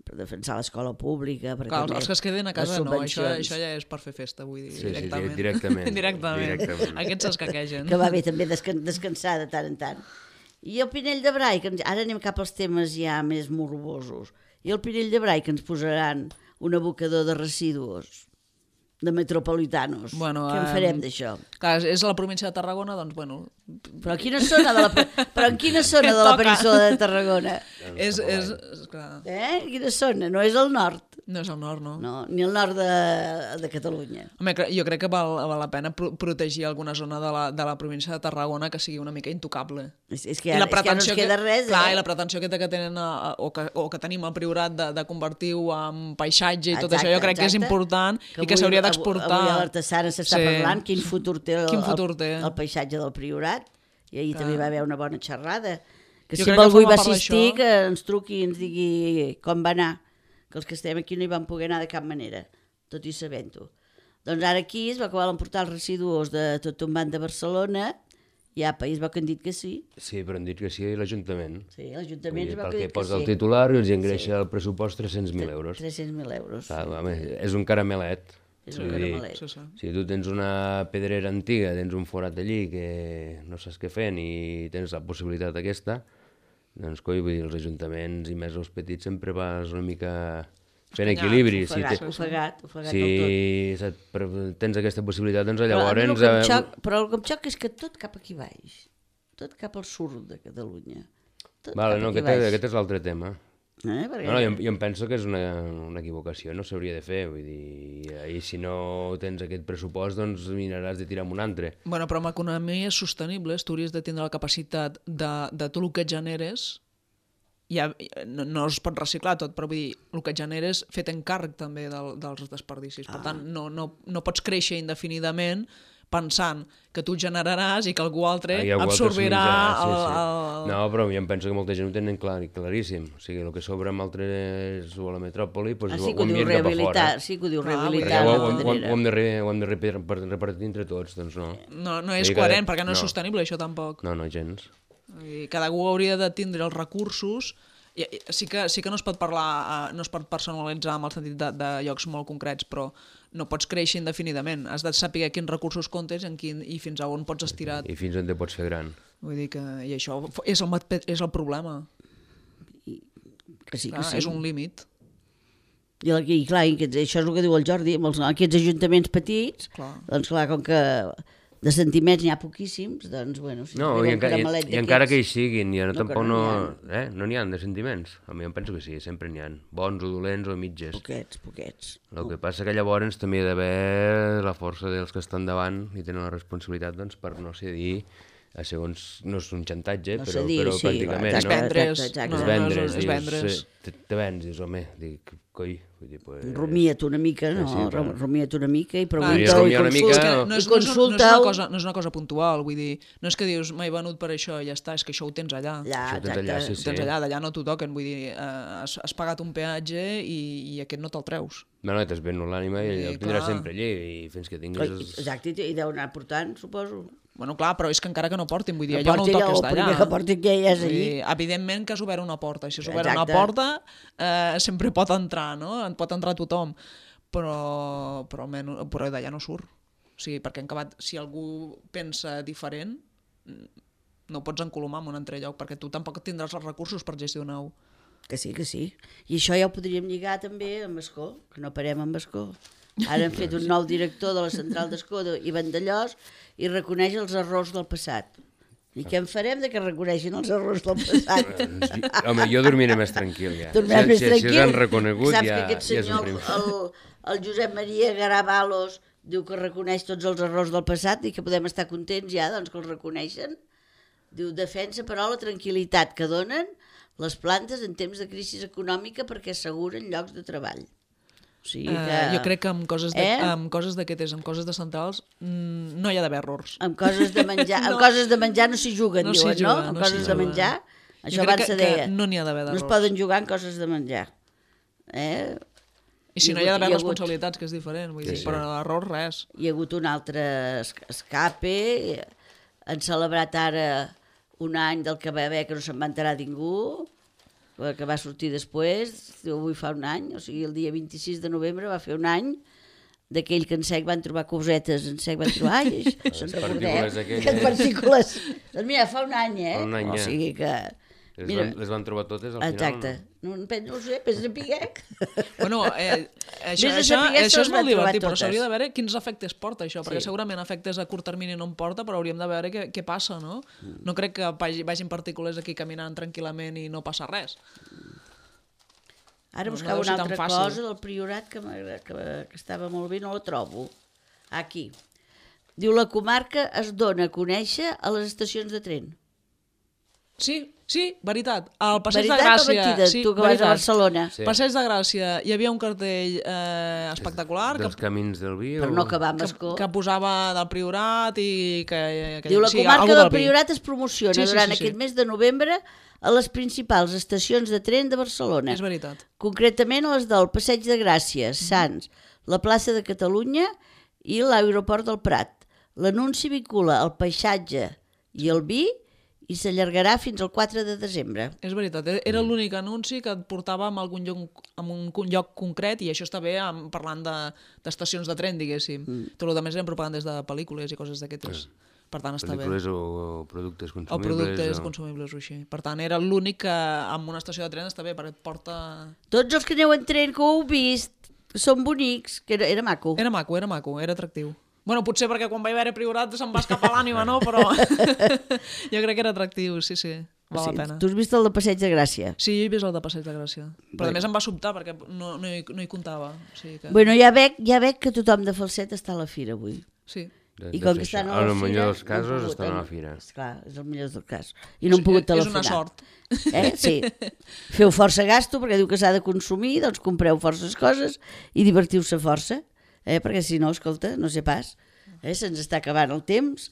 per defensar l'escola pública. Clar, els, els que es queden a casa no, això, això ja és per fer festa, vull dir, Sí, sí, directament. directament. directament. Directament. Aquests s'escaquegen. Que va bé també descan descansar de tant en tant. I el Pinell de Brai, que ens... ara anem cap als temes ja més morbosos, i el Pinell de Brai que ens posaran un abocador de residus de metropolitanos. Bueno, Què en eh, farem d'això? Clar, és a la província de Tarragona, doncs, bueno... Però en quina zona de la, però en quina zona de la Toca. península de Tarragona? És, és, és, clar, Eh? Quina zona? No és el nord. no és el nord, no? No, ni el nord de, de Catalunya. Home, cre- jo crec que val, val la pena pro protegir alguna zona de la, de la província de Tarragona que sigui una mica intocable. És, és, que, ja, és que ja no ens queda res, clar, eh? i la pretensió que, que tenen a, a, o, que, o que tenim al Priorat de, de convertir-ho en paisatge i tot Exacte, això, jo crec que és exacte. important Que i que avui- s'hauria avui- d'exportar. Avui a l'Artesana s'està Sí. parlant quin futur té el, Quin futur té. el, el paisatge del Priorat, i ahir Clar. també va haver una bona xerrada. Que Jo si crec que algú hi forma va part assistir, d'això. que ens truqui i ens digui com va anar, que els que estem aquí no hi vam poder anar de cap manera, tot i sabent-ho. Doncs ara aquí es va acabar d'emportar els residus de tot un banc de Barcelona, i apa, i es veu que han dit que sí. Sí, però han dit que sí l'Ajuntament. Sí, l'Ajuntament es veu Pel que que ha dit que posa el sí. titular i els ingreixa al pressupost tres-cents mil euros. tres-cents mil euros. Clar, home, és un caramelet. És un Vull dir, caramelet. Sí, sí. Si tu tens una pedrera antiga, tens un forat allí que no saps què fer ni tens la possibilitat aquesta, Doncs, coi, vull dir, els ajuntaments i més els petits sempre vas una mica fent Escanyat, equilibri. Ofegat, Si, te, ofegat, ofegat si del tot. se't pre- tens aquesta possibilitat, doncs Però, a mi el llavors... que em eh, xoc, però el que em xoca és que tot cap aquí baix, tot cap al sud de Catalunya. Tot Vale, cap no, aquí aquest, baix. aquest és l'altre tema. Eh? Perquè... No, no, jo, jo em penso que és una, una equivocació, no s'hauria de fer, vull dir, i si no tens aquest pressupost, doncs miraràs de tirar amb un altre. Bueno, però amb economies sostenibles tu hauries de tindre la capacitat de, de tot el que et generes, ja, no, no es pot reciclar tot, però vull dir, el que et generes fet encàrrec també del, dels desperdicis. Per tant, no, no, no pots créixer indefinidament pensant que tu generaràs i que algú altre Ah, i algú altre absorbirà assumirà, el, sí, sí. el... No, però jo em penso que molta gent ho tenen clar, claríssim. O sigui, el que sobra amb altres o a la metròpoli, doncs Ah, ho, sí que ho ho diu envien cap a fora. rehabilitar, sí que ho diu Clar, rehabilitar. Perquè ho, la ho, ho, pedrera. ho, hem de, re, ho hem de repartir, repartir entre tots, doncs no. No, no és Vull dir que- coherent, perquè no, és no. sostenible això tampoc. No, no, gens. I cada algú hauria de tindre els recursos. I, i, sí, que, sí que no es pot parlar, eh, no es pot personalitzar amb el sentit de, de llocs molt concrets, però no pots créixer indefinidament. Has de saber quins recursos comptes en quin, i fins a on pots estirar. I fins on te pots fer gran. Vull dir que i això és el, mat- és el problema. Que sí, que Clar, sí. és un límit. I, el- i clar, i aquests, això és el que diu el Jordi, amb els, aquests ajuntaments petits, Clar. doncs clar, com que de sentiments n'hi ha poquíssims, doncs bueno, si No, arriba i, un enca i, caramelet i encara que hi d'aquests- siguin, ja no, No, que tampoc no no... n'hi eh? No n'hi ha de sentiments. A mi em penso que sí, sempre n'hi ha. Bons o dolents o mitges. Poquets, poquets. El que passa que llavors també hi ha d'haver la força dels que estan davant i tenen la responsabilitat doncs, per no cedir a segons... No és un xantatge, No però, cedir, però sí, pràcticament, És no? vendre's. Exacte, exacte. No, És no, vendre's, és, és dius, vendre's. eh, te, te vens, dius, home, dic, coi, vull dir, pues... Rumia't una mica, no? Sí, sí, clar. Rumia't una mica i Clar, pregunta Rumiar i una mica, consulta. no. no, és, I no, és, no, és, consulta una cosa, no és una cosa puntual, vull dir, no és que dius m'he venut per això i ja està, és que això ho tens allà. Allà, Això ho tens allà, exacte. sí, Ho tens allà, d'allà no t'ho toquen, vull dir, eh, has, has pagat un peatge i, i aquest no te'l treus. No, no, t'has venut l'ànima i Sí, el tindràs clar. sempre allí i fins que tinguis... Exacte, i deu anar portant, suposo. Bueno, clar, però és que encara que no portin, vull dir, No allò no ho porti allà, toques o d'allà. primer que porti que ja és Vull allí. dir, evidentment que has obert una porta, i si has obert una Exacte. porta eh, sempre pot entrar, no? En pot entrar tothom, però, però, almenys, però d'allà no surt. O sigui, perquè en acabat, si algú pensa diferent, no ho pots encolomar en un altre lloc, perquè tu tampoc tindràs els recursos per gestionar-ho. Que sí, que sí. I això ja ho podríem lligar també amb Escó, que no parem amb Escó. Ara han fet un nou director de la central d'Escó i Vandellós i reconeix els errors del passat. I què en farem de que reconeixin els errors del passat? Home, jo dormiré més tranquil, ja. Dormiràs si, més si, si tranquil. s'han reconegut, Saps ja, que aquest ja és un senyor, primer. el, el Josep Maria Garavalos, diu que reconeix tots els errors del passat i que podem estar contents ja, doncs que els reconeixen. Diu, defensa, però, la tranquil·litat que donen les plantes en temps de crisi econòmica perquè asseguren llocs de treball. O sigui que... Uh, jo crec que amb coses de, Eh? amb coses d'aquestes, amb coses de centrals, mm, no hi ha d'haver errors. Amb coses de menjar, No. amb coses de menjar no s'hi juguen, No s'hi diuen, juga, no? Amb no s'hi coses de juga. menjar, Jo això crec abans que- se que deia. no n'hi ha d'haver No es d'errors. poden jugar amb coses de menjar. Eh? I si Hi ha no hi ha hagut- d'haver hi ha hagut- responsabilitats, que és diferent, vull Sí, dir, sí. però errors res. Hi ha hagut un altre es- escape, han celebrat ara un any del que va haver que no se'n va enterar ningú, que va sortir després, diu, avui fa un any, o sigui, el dia vint-i-sis de novembre va fer un any d'aquell que en sec van trobar cosetes, en sec van trobar, ai, se'n Les recordeu? partícules aquelles. Aquestes partícules. Doncs mira, fa un any, eh? Fa un any, o ja. sigui que... Les, Mira, van, les van trobar totes al exacte. final. No, no, no ho sé, pensa en Piguec. Bueno, eh, això, Vés a això, saber si això és les van molt trobar divertit, però totes. s'hauria de veure quins efectes porta això, perquè Sí. segurament efectes a curt termini no en porta, però hauríem de veure què, què passa, no? No crec que vagi, vagin partícules aquí caminant tranquil·lament i no passa res. Ara No, no buscava deu ser una tan altra fàcil. cosa del Priorat que, m'agrada- que, que estava molt bé, no la trobo. Aquí. Diu, la comarca es dona a conèixer a les estacions de tren. Sí, sí, veritat. Al Passeig de Veritat o Gràcia... mentida? Sí, Tu que vas a veritat. Barcelona. Sí. Passeig de Gràcia, hi havia un cartell eh, espectacular que, Dels camins del vi? Per o... no acabar amb que, Escó. que posava del Priorat i que... que Diu, la sí, comarca algú del vi. Priorat es promociona Sí, sí, durant sí, sí. aquest mes de novembre a les principals estacions de tren de Barcelona. És veritat. Concretament a les del Passeig de Gràcia, Sants, la plaça de Catalunya i l'aeroport del Prat. L'anunci vincula el paisatge i el vi i s'allargarà fins al quatre de desembre. És veritat, era l'únic anunci que et portava a algun lloc, a un lloc concret, i això està bé amb, parlant de- d'estacions de, de tren, diguéssim. Mm. Tot el que més eren propagandes de pel·lícules i coses d'aquestes. Per tant, està Pel·lícules bé. o productes O consumibles. productes o... consumibles o així. Per tant, era l'únic que amb una estació de tren està bé, perquè et porta... Tots els que aneu en tren que ho heu vist, són bonics, que era, era maco. Era maco, era maco, era atractiu. Bueno, potser perquè quan vaig veure Priorat se'm va escapar l'ànima, no? Però jo crec que era atractiu, sí, sí. Val Sí, la pena. tu has vist el de Passeig de Gràcia? Sí, jo he vist el de Passeig de Gràcia. Però a més em va sobtar perquè no, no, hi, no hi comptava. O sigui que... Bueno, ja veig, ja veig que tothom de Falset està a la fira avui. Sí. De, I de com fer que estan això. a la En el fira... millor dels no han casos pogut, estan a la eh? fira. Esclar, és el millor dels casos. I no han Sí, pogut és una telefonar. sort. Eh? Sí. Feu força gasto perquè diu que s'ha de consumir, doncs compreu forces coses i divertiu-se força, eh? Perquè si no, escolta, no sé pas, eh? Se'ns està acabant el temps.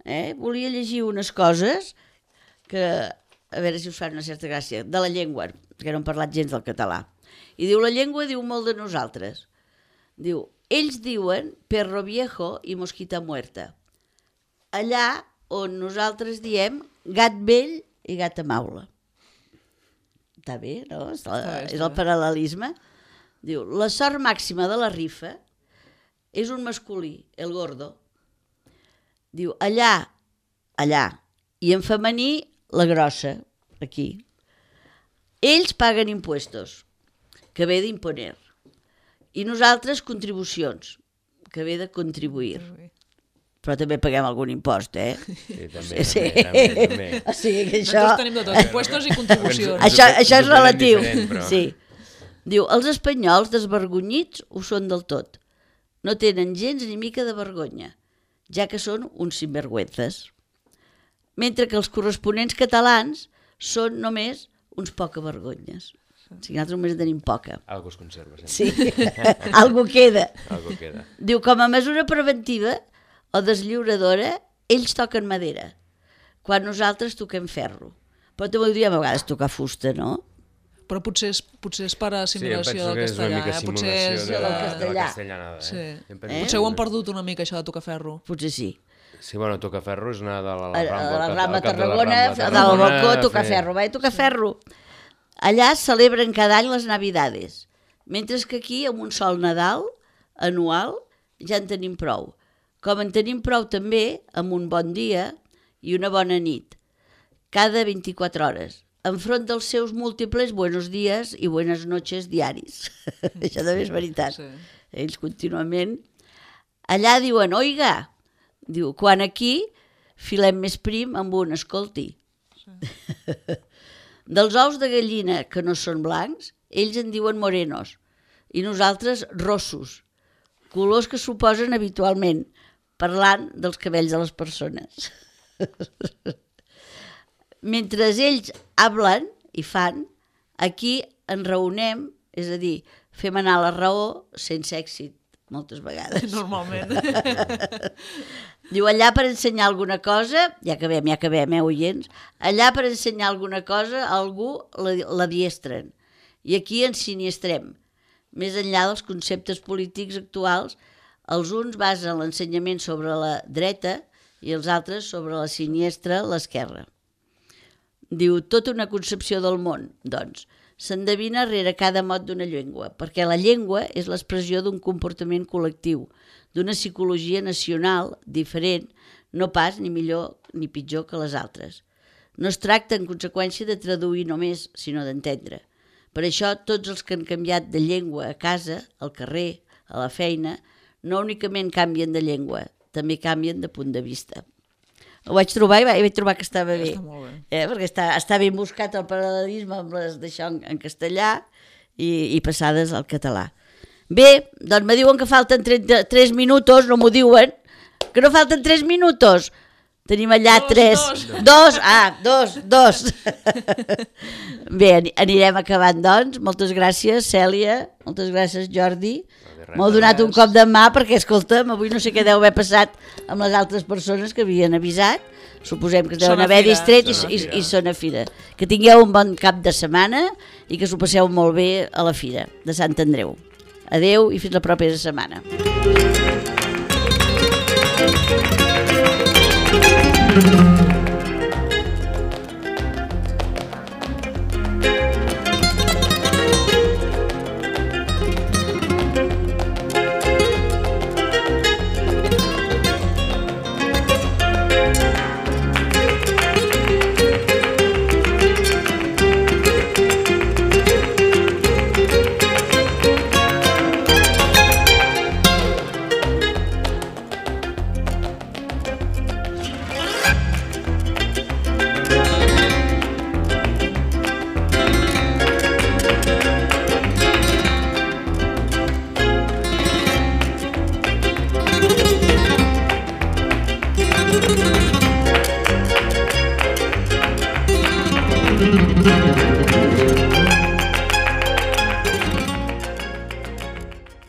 Eh? Volia llegir unes coses que, a veure si us fan una certa gràcia, de la llengua, que no hem parlat gens del català. I diu, la llengua diu molt de nosaltres. Diu, ells diuen perro viejo i mosquita muerta. Allà on nosaltres diem gat vell i gata maula. Està bé, no? És, la, Està bé, està és el bé. paral·lelisme. Diu, la sort màxima de la rifa és un masculí, el gordo. Diu, allà, allà, i en femení, la grossa, aquí. Ells paguen impuestos, que ve d'imponer. I nosaltres contribucions, que ve de contribuir. Però també paguem algun impost, eh? Sí, també, Sí. també, també, també. O sigui que això... Nosaltres tenim de tot, impuestos i contribucions. Això, Ens ho- això és ens ho prenem relatiu. diferent, però- Sí. Diu, els espanyols desvergonyits ho són del tot. No tenen gens ni mica de vergonya, ja que són uns sinvergüenzes. Mentre que els corresponents catalans són només uns poca vergonyes. O sigui, nosaltres només en tenim poca. Algo es conserva, sempre. Sí, algo queda. Algo queda. Diu, com a mesura preventiva o deslliuradora, ells toquen madera, quan nosaltres toquem ferro. Però també ho diem a vegades tocar fusta, no? Però potser és, potser és per assimilació sí, em penso del que és una castellà. mica Eh? Potser simulació és, de, del la, de la castellà. castellanada. Eh? Sí. Em penso Eh? Potser ho han perdut una mica, això de tocar ferro. Potser sí. Sí, bueno, tocar ferro és anar de la, A, la a Rambla, la al cap- Rambla al cap de la Tarragona, Rambla a dalt del Tarragona, balcó, a tocar fer- ferro, va, tocar ferro. Allà celebren cada any les Navidades, mentre que aquí, amb un sol Nadal anual, ja en tenim prou. Com en tenim prou també amb un bon dia i una bona nit, cada vint-i-quatre hores, enfront dels seus múltiples buenos días i buenas noches diaris. Això també és veritat. Sí. Ells contínuament... Allà diuen, oiga, diu, quan aquí filem més prim amb un escolti. Dels ous de gallina que no són blancs, ells en diuen morenos i nosaltres rossos, colors que suposen habitualment, parlant dels cabells de les persones. Mentre ells hablen i fan, aquí ens reúnem, és a dir, fem anar la raó sense èxit, moltes vegades. Normalment. Diu, allà per ensenyar alguna cosa, ja acabem, ja acabem, eh, oients, allà per ensenyar alguna cosa a algú la, la diestren, i aquí ens siniestrem. Més enllà dels conceptes polítics actuals, els uns basen l'ensenyament sobre la dreta i els altres sobre la siniestra, l'esquerra. Diu, tota una concepció del món, doncs, s'endevina rere cada mot d'una llengua, perquè la llengua és l'expressió d'un comportament col·lectiu, d'una psicologia nacional diferent, no pas ni millor ni pitjor que les altres. No es tracta, en conseqüència, de traduir només, sinó d'entendre. Per això, tots els que han canviat de llengua a casa, al carrer, a la feina, no únicament canvien de llengua, també canvien de punt de vista. Ho vaig trobar i vaig trobar que estava bé. Està molt bé. Eh, perquè està, està ben buscat el paral·lelisme amb les d'això en, en castellà i, i passades al català. Bé, doncs me diuen que falten trenta-tres minutos, no m'ho diuen, que no falten tres minutos. Tenim allà Dos, tres. dos. Dos, ah, dos, dos. Bé, ani- anirem acabant, doncs. Moltes gràcies, Cèlia. Moltes gràcies, Jordi. res, M'heu donat un cop de mà perquè, escolta'm, avui no sé què deu haver passat amb les altres persones que havien avisat. Suposem que es deuen Són a haver fira. distret i, Són a i, fira. i són a fira. Que tingueu un bon cap de setmana i que s'ho passeu molt bé a la fira de Sant Andreu. Adeu i fins la propera setmana. Thank you.